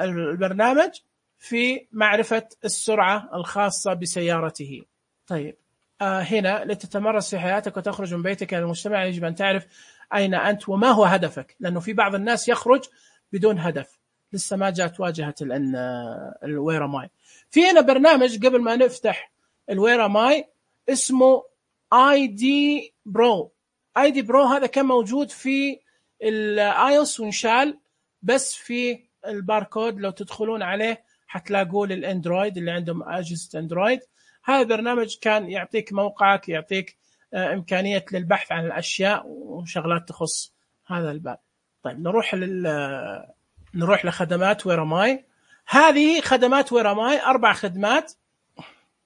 البرنامج في معرفة السرعة الخاصة بسيارته. طيب هنا لتتمرس في حياتك وتخرج من بيتك إلى المجتمع يجب أن تعرف أين أنت وما هو هدفك، لأنه في بعض الناس يخرج بدون هدف، لسه ما جاءت واجهة الوير ماي. في هنا برنامج قبل ما نفتح الوير ماي اسمه اي دي برو. اي دي برو هذا كان موجود في الايوس وانشال، بس في الباركود لو تدخلون عليه حتلاقوه للاندرويد اللي عندهم اجهزة اندرويد. هذا البرنامج كان يعطيك موقعك، يعطيك إمكانية للبحث عن الأشياء وشغلات تخص هذا الباب. طيب نروح لخدمات ويراماي. هذه خدمات ويراماي 4 خدمات.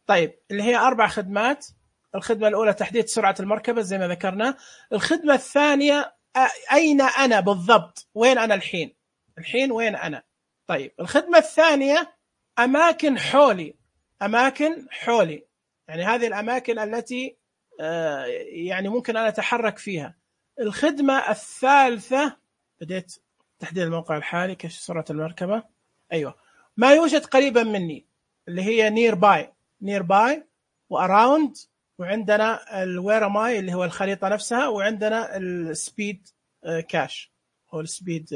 طيب اللي هي 4 خدمات. الخدمة الأولى تحديد سرعة المركبة زي ما ذكرنا. الخدمة الثانية أين أنا بالضبط، وين أنا الحين وين أنا. طيب الخدمة الثانية أماكن حولي، يعني هذه الأماكن التي يعني ممكن أن أتحرك فيها. الخدمة الثالثة بديت تحديد الموقع الحالي، كشف سرعة المركبة، أيوة ما يوجد قريبا مني اللي هي near by وأراوند، وعندنا الوير ماي اللي هو الخريطة نفسها، وعندنا السبيد كاش أو السبيد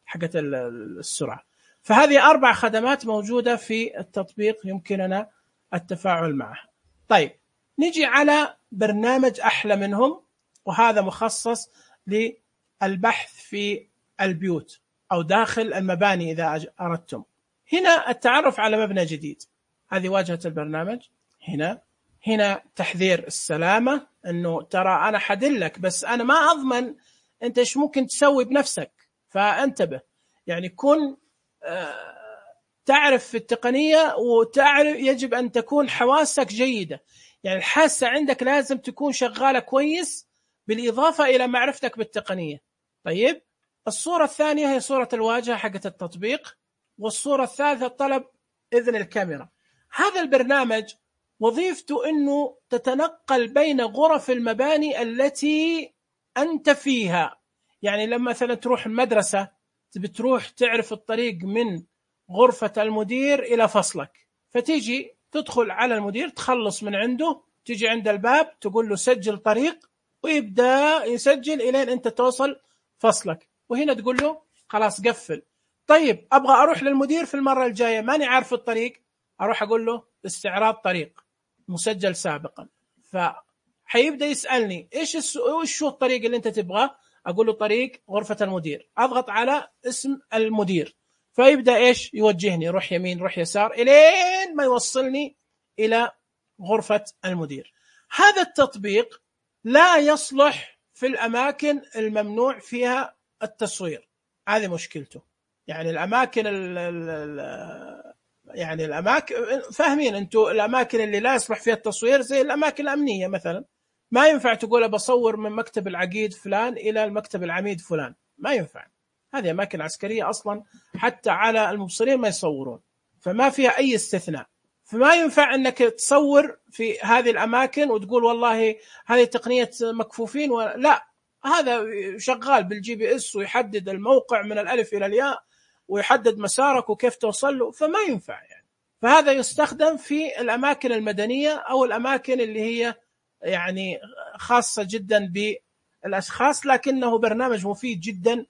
حقة السرعة. فهذه 4 خدمات موجودة في التطبيق يمكننا التفاعل معها. طيب نجي على برنامج أحلى منهم، وهذا مخصص للبحث في البيوت أو داخل المباني إذا أردتم. هنا التعرف على مبنى جديد، هذه واجهة البرنامج. هنا تحذير السلامة، أنه ترى أنا حدلك بس أنا ما أضمن أنت إيش ممكن تسوي بنفسك، فانتبه. يعني كن تعرف في التقنية، وتعرف يجب أن تكون حواسك جيدة، يعني الحاسة عندك لازم تكون شغالة كويس بالإضافة إلى معرفتك بالتقنية. طيب الصورة الثانية هي صورة الواجهة حقة التطبيق، والصورة الثالثة طلب إذن الكاميرا. هذا البرنامج وظيفته أنه تتنقل بين غرف المباني التي أنت فيها. يعني لما مثلا تروح المدرسة بتروح تعرف الطريق من غرفة المدير إلى فصلك، فتيجي تدخل على المدير تخلص من عنده، تيجي عند الباب تقول له سجل طريق، ويبدأ يسجل إلين أنت توصل فصلك، وهنا تقول له خلاص قفل. طيب أبغى أروح للمدير في المرة الجاية ماني عارف الطريق، أروح أقول له استعراض طريق مسجل سابقا، فحيبدأ يسألني إيش هو الطريق اللي أنت تبغاه، أقول له طريق غرفة المدير، أضغط على اسم المدير، فيبدأ إيش يوجهني، روح يمين روح يسار إلين ما يوصلني إلى غرفة المدير. هذا التطبيق لا يصلح في الأماكن الممنوع فيها التصوير، هذه مشكلته. يعني الأماكن يعني الأماكن فاهمين أنتوا، الأماكن اللي لا يصلح فيها التصوير زي الأماكن الأمنية مثلا، ما ينفع تقول بصور من مكتب العقيد فلان إلى المكتب العميد فلان، ما ينفع، هذه أماكن عسكرية أصلا حتى على المبصرين ما يصورون، فما فيها أي استثناء. فما ينفع أنك تصور في هذه الأماكن وتقول والله هذه تقنية مكفوفين، لا، هذا شغال بالجي بي اس ويحدد الموقع من الألف إلى الياء ويحدد مسارك وكيف توصل له، فما ينفع يعني. فهذا يستخدم في الأماكن المدنية أو الأماكن اللي هي يعني خاصة جدا بالأشخاص، لكنه برنامج مفيد جدا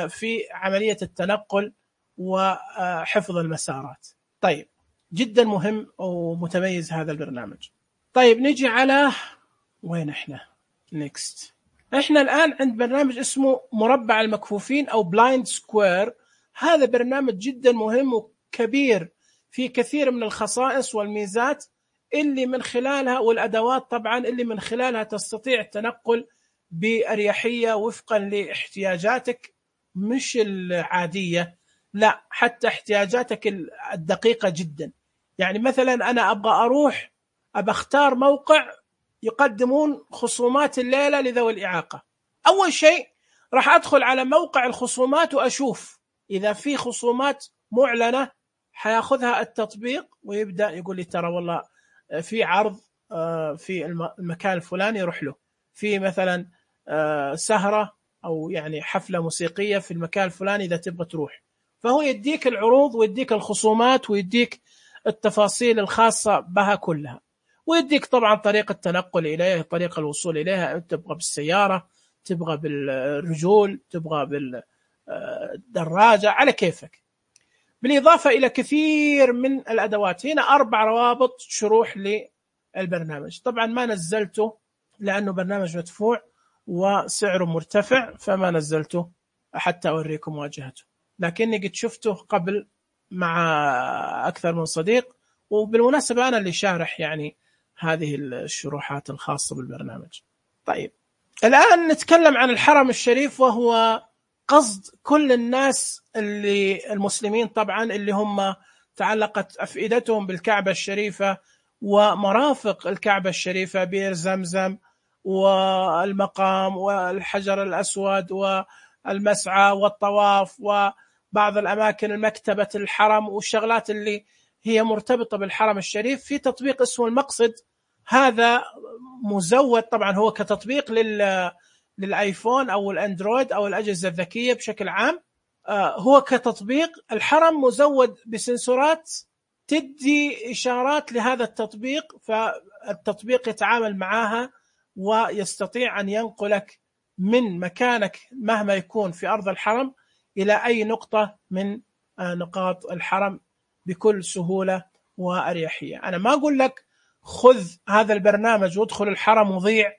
في عملية التنقل وحفظ المسارات. طيب جدا مهم ومتميز هذا البرنامج. طيب نجي على وين احنا نيكست. احنا الآن عند برنامج اسمه مربع المكفوفين أو بلايند سكوير. هذا برنامج جدا مهم وكبير في كثير من الخصائص والميزات اللي من خلالها، والأدوات طبعا اللي من خلالها تستطيع التنقل بأريحية وفقا لاحتياجاتك، مش العادية، لا حتى احتياجاتك الدقيقة جدا. يعني مثلا أنا أبغى أختار موقع يقدمون خصومات الليلة لذوي الإعاقة. أول شيء راح أدخل على موقع الخصومات وأشوف إذا في خصومات معلنة، حياخذها التطبيق ويبدأ يقول لي ترى والله في عرض في المكان الفلاني يروح له، في مثلا سهرة أو يعني حفلة موسيقية في المكان الفلاني إذا تبغى تروح، فهو يديك العروض ويديك الخصومات ويديك التفاصيل الخاصة بها كلها. ويديك طبعا طريقة التنقل إليه، طريقة الوصول إليها، تبغى بالسيارة، تبغى بالرجول، تبغى بالدراجة، على كيفك. بالإضافة إلى كثير من الأدوات. هنا 4 روابط شروح للبرنامج. طبعا ما نزلته لأنه برنامج مدفوع وسعره مرتفع، فما نزلته حتى أوريكم واجهته، لكني قد شفته قبل مع أكثر من صديق. وبالمناسبة أنا اللي شارح يعني هذه الشروحات الخاصة بالبرنامج. طيب الآن نتكلم عن الحرم الشريف، وهو قصد كل الناس اللي المسلمين طبعا اللي هم تعلقت أفئدتهم بالكعبة الشريفة ومرافق الكعبة الشريفة، بئر زمزم والمقام والحجر الأسود والمسعى والطواف وبعض الأماكن، المكتبة الحرم والشغلات اللي هي مرتبطة بالحرم الشريف. في تطبيق اسمه المقصد، هذا مزود طبعا، هو كتطبيق للآيفون أو الأندرويد أو الأجهزة الذكية بشكل عام. هو كتطبيق الحرم مزود بسنسورات تدي إشارات لهذا التطبيق، فالتطبيق يتعامل معها ويستطيع أن ينقلك من مكانك مهما يكون في أرض الحرم إلى أي نقطة من نقاط الحرم بكل سهولة وأريحية. أنا ما أقول لك خذ هذا البرنامج وادخل الحرم وضيع،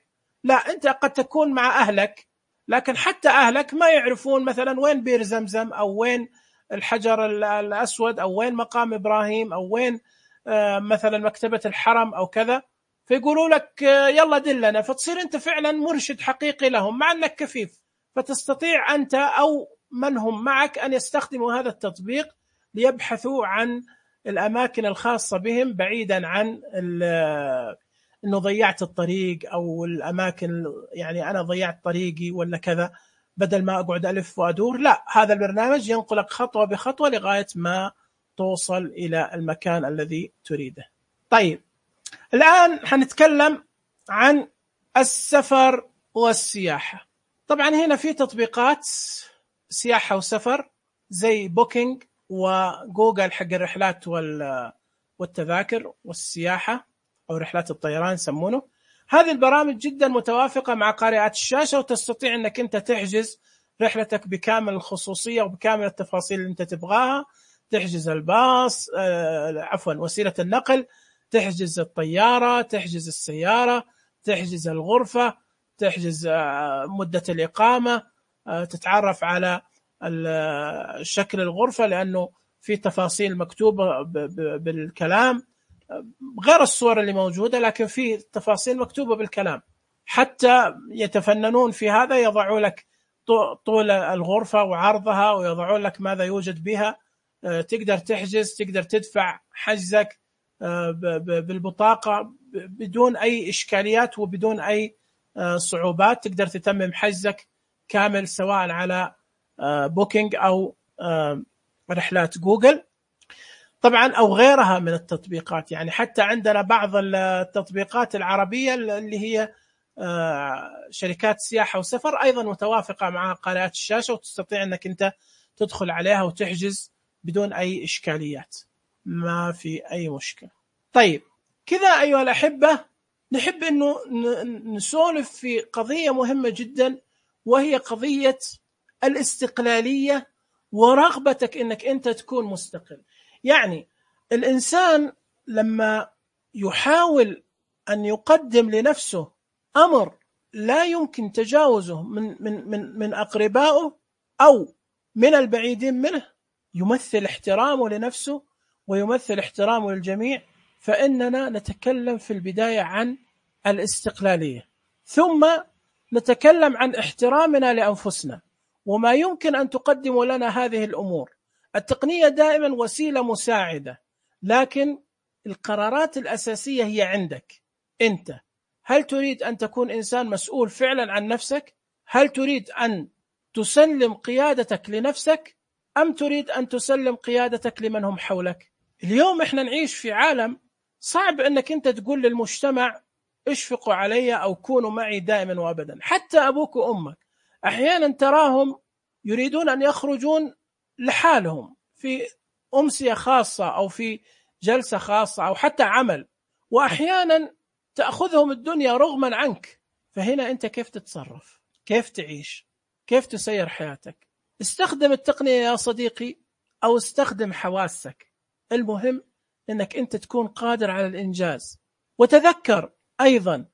لا، أنت قد تكون مع أهلك، لكن حتى أهلك ما يعرفون مثلا وين بئر زمزم أو وين الحجر الأسود أو وين مقام إبراهيم أو وين مثلا مكتبة الحرم أو كذا، فيقولوا لك يلا دلنا، فتصير أنت فعلا مرشد حقيقي لهم مع أنك كفيف، فتستطيع أنت أو من هم معك أن يستخدموا هذا التطبيق ليبحثوا عن الأماكن الخاصة بهم، بعيدا عن أنه ضيعت الطريق أو الأماكن، يعني أنا ضيعت طريقي ولا كذا، بدل ما أقعد ألف وأدور. لا، هذا البرنامج ينقلك خطوة بخطوة لغاية ما توصل إلى المكان الذي تريده. طيب الآن حنتكلم عن السفر والسياحة. طبعا هنا في تطبيقات سياحة وسفر زي بوكينج وجوجل حق الرحلات والتذاكر والسياحة أو رحلات الطيران يسمونه. هذه البرامج جدا متوافقة مع قارئات الشاشة، وتستطيع أنك أنت تحجز رحلتك بكامل الخصوصية وبكامل التفاصيل اللي أنت تبغاها. تحجز الباص، وسيلة النقل، تحجز الطيارة، تحجز السيارة، تحجز الغرفة، تحجز مدة الإقامة، تتعرف على شكل الغرفة لأنه في تفاصيل مكتوبة بالكلام غير الصور اللي موجودة، لكن في تفاصيل مكتوبة بالكلام. حتى يتفننون في هذا، يضعوا لك طول الغرفة وعرضها ويضعوا لك ماذا يوجد بها. تقدر تحجز، تقدر تدفع حجزك بالبطاقة بدون أي إشكاليات وبدون أي صعوبات. تقدر تتمم حجزك كامل سواء على بوكينج أو رحلات جوجل طبعا أو غيرها من التطبيقات. يعني حتى عندنا بعض التطبيقات العربية اللي هي شركات سياحة وسفر أيضا متوافقة مع قارئات الشاشة، وتستطيع أنك أنت تدخل عليها وتحجز بدون أي إشكاليات، ما في أي مشكلة. طيب كذا أيها الأحبة، نحب أنه نسولف في قضية مهمة جدا، وهي قضية الاستقلالية ورغبتك أنك أنت تكون مستقل. يعني الإنسان لما يحاول أن يقدم لنفسه أمر لا يمكن تجاوزه من أقربائه أو من البعيدين منه، يمثل احترامه لنفسه ويمثل احترامه للجميع. فإننا نتكلم في البداية عن الاستقلالية، ثم نتكلم عن احترامنا لأنفسنا وما يمكن أن تقدم لنا هذه الأمور. التقنية دائما وسيلة مساعدة، لكن القرارات الأساسية هي عندك أنت. هل تريد أن تكون إنسان مسؤول فعلا عن نفسك؟ هل تريد أن تسلم قيادتك لنفسك أم تريد أن تسلم قيادتك لمن هم حولك؟ اليوم إحنا نعيش في عالم صعب أنك أنت تقول للمجتمع اشفقوا علي أو كونوا معي دائما وأبدا. حتى أبوك وأمك أحيانا تراهم يريدون أن يخرجون لحالهم في أمسية خاصة أو في جلسة خاصة أو حتى عمل، وأحيانا تأخذهم الدنيا رغما عنك. فهنا أنت كيف تتصرف، كيف تعيش، كيف تسير حياتك. استخدم التقنية يا صديقي أو استخدم حواسك، المهم أنك أنت تكون قادر على الإنجاز. وتذكر أيضا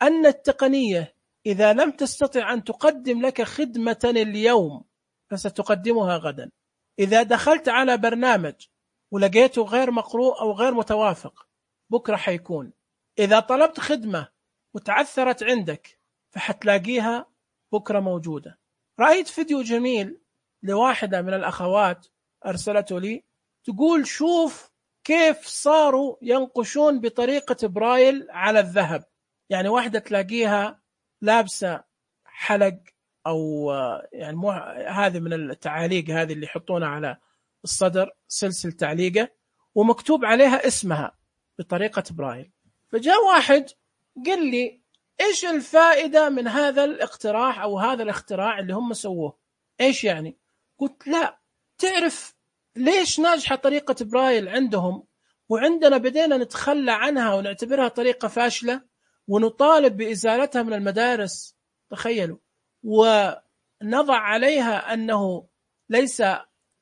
أن التقنية إذا لم تستطع أن تقدم لك خدمة اليوم فستقدمها غدا. إذا دخلت على برنامج ولقيته غير مقروء أو غير متوافق بكرة حيكون. إذا طلبت خدمة وتعثرت عندك فحتلاقيها بكرة موجودة. رأيت فيديو جميل لواحدة من الأخوات أرسلته لي، تقول شوف كيف صاروا ينقشون بطريقة برايل على الذهب. يعني واحدة تلاقيها لابسة حلق أو يعني هذه من التعاليق هذه اللي يحطونها على الصدر، سلسل تعليقة ومكتوب عليها اسمها بطريقة برايل. فجاء واحد قال لي إيش الفائدة من هذا الاقتراح أو هذا الاختراع اللي هم سووه؟ إيش يعني؟ قلت لا، تعرف ليش ناجحة طريقة برايل عندهم وعندنا بدينا نتخلى عنها ونعتبرها طريقة فاشلة ونطالب بإزالتها من المدارس؟ تخيلوا، ونضع عليها أنه ليس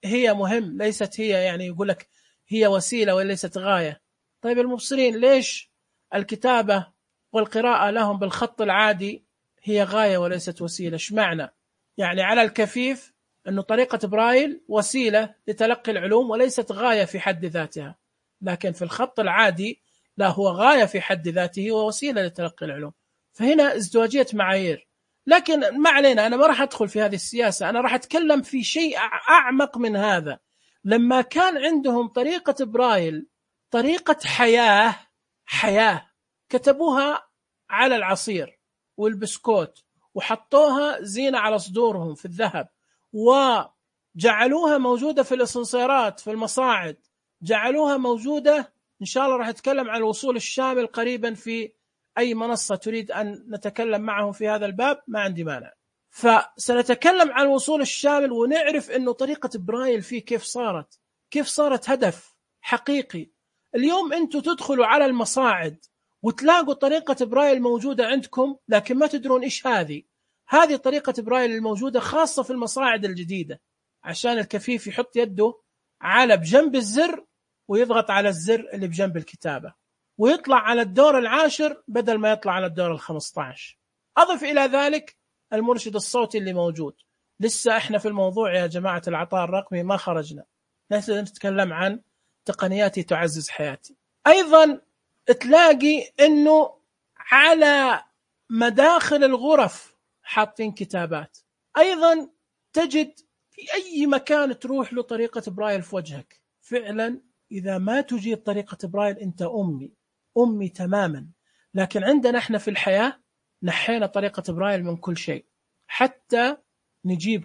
هي مهم، ليست هي يعني يقول لك هي وسيلة وليست غاية. طيب المبصرين ليش الكتابة والقراءة لهم بالخط العادي هي غاية وليست وسيلة؟ ايش معنى؟ يعني على الكفيف أنه طريقة برايل وسيلة لتلقي العلوم وليست غاية في حد ذاتها، لكن في الخط العادي لا، هو غاية في حد ذاته ووسيلة لتلقي العلوم. فهنا ازدواجية معايير. لكن ما علينا، أنا ما راح أدخل في هذه السياسة، أنا راح أتكلم في شيء أعمق من هذا. لما كان عندهم طريقة برايل طريقة حياة كتبوها على العصير والبسكوت وحطوها زينة على صدورهم في الذهب وجعلوها موجودة في الأسانسيرات في المصاعد، جعلوها موجودة. إن شاء الله راح أتكلم عن الوصول الشامل قريبا في أي منصة تريد أن نتكلم معهم في هذا الباب، ما عندي مانع. فسنتكلم عن الوصول الشامل ونعرف أنه طريقة برايل فيه كيف صارت هدف حقيقي. اليوم أنتم تدخلوا على المصاعد وتلاقوا طريقة برايل موجودة عندكم لكن ما تدرون إيش هذه طريقة برايل الموجودة خاصة في المصاعد الجديدة، عشان الكفيف يحط يده على بجنب الزر ويضغط على الزر اللي بجنب الكتابة ويطلع على الدور العاشر بدل ما يطلع على الدور 15. أضف إلى ذلك المرشد الصوتي اللي موجود. لسه إحنا في الموضوع يا جماعة العطاء الرقمي ما خرجنا، نتكلم عن تقنياتي تعزز حياتي. أيضا تلاقي أنه على مداخل الغرف حاطين كتابات. أيضا تجد في أي مكان تروح له طريقة برايل في وجهك. فعلا إذا ما تجيد طريقة برايل أنت أمي تماما. لكن عندنا احنا في الحياة نحينا طريقة برايل من كل شيء، حتى نجيب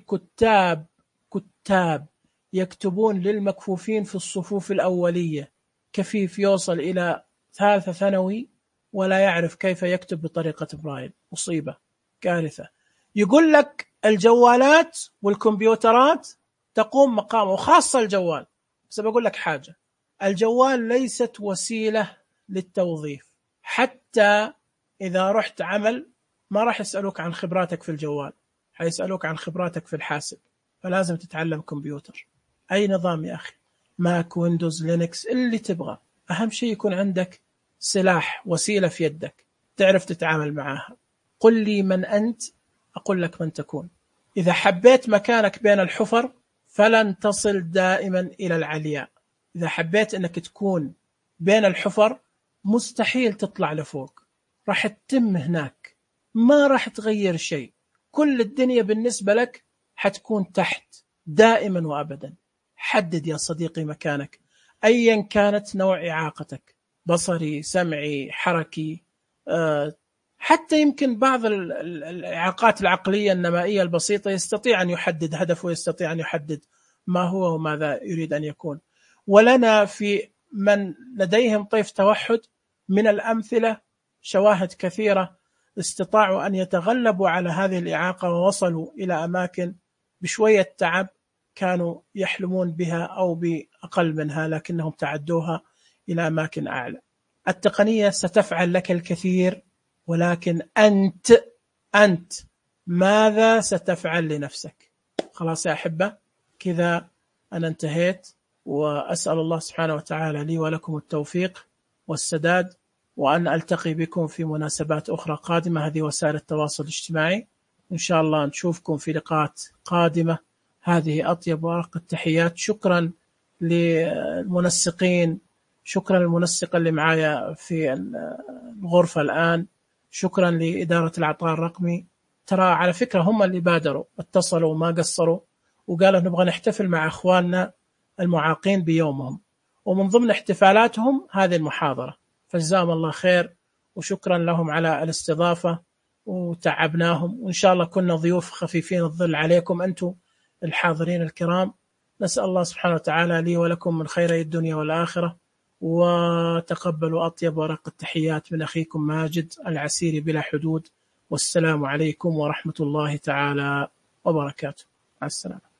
كتاب يكتبون للمكفوفين في الصفوف الأولية. كفيف يوصل إلى ثالثة ثانوي ولا يعرف كيف يكتب بطريقة برايل، مصيبة، كارثة. يقول لك الجوالات والكمبيوترات تقوم مقامه، وخاصة الجوال. بس بقول لك حاجة، الجوال ليست وسيلة للتوظيف. حتى إذا رحت عمل ما راح يسألوك عن خبراتك في الجوال، حيسألوك عن خبراتك في الحاسب. فلازم تتعلم كمبيوتر، أي نظام يا أخي، ماك، ويندوز، لينكس، اللي تبغى. أهم شيء يكون عندك سلاح، وسيلة في يدك تعرف تتعامل معها. قل لي من أنت أقول لك من تكون. إذا حبيت مكانك بين الحفر فلن تصل دائما إلى العلياء. إذا حبيت أنك تكون بين الحفر مستحيل تطلع لفوق، راح تتم هناك، ما راح تغير شيء. كل الدنيا بالنسبة لك حتكون تحت دائما وأبدا. حدد يا صديقي مكانك أيا كانت نوع إعاقتك، بصري، سمعي، حركي، حتى يمكن بعض الإعاقات العقلية النمائية البسيطة يستطيع أن يحدد هدفه ويستطيع أن يحدد ما هو وماذا يريد أن يكون. ولنا في من لديهم طيف توحد من الأمثلة شواهد كثيرة استطاعوا أن يتغلبوا على هذه الإعاقة ووصلوا إلى أماكن بشوية تعب كانوا يحلمون بها أو بأقل منها، لكنهم تعدوها إلى أماكن أعلى. التقنية ستفعل لك الكثير، ولكن أنت ماذا ستفعل لنفسك؟ خلاص يا أحبة، كذا أنا انتهيت، وأسأل الله سبحانه وتعالى لي ولكم التوفيق والسداد، وأن ألتقي بكم في مناسبات أخرى قادمة. هذه وسائل التواصل الاجتماعي، إن شاء الله نشوفكم في لقاءات قادمة. هذه أطيب وأرق التحيات. شكرا للمنسقين، شكرا للمنسق اللي معايا في الغرفة الآن، شكرا لإدارة العطاء الرقمي. ترى على فكرة هم اللي بادروا، اتصلوا وما قصروا وقالوا نبغى نحتفل مع أخواننا المعاقين بيومهم، ومن ضمن احتفالاتهم هذه المحاضرة، فجزاهم الله خير وشكرا لهم على الاستضافة، وتعبناهم، وإن شاء الله كنا ضيوف خفيفين الظل عليكم أنتم الحاضرين الكرام. نسأل الله سبحانه وتعالى لي ولكم من خيري الدنيا والآخرة، وتقبلوا أطيب ورق التحيات من أخيكم ماجد العسيري بلا حدود. والسلام عليكم ورحمة الله تعالى وبركاته. مع السلامة.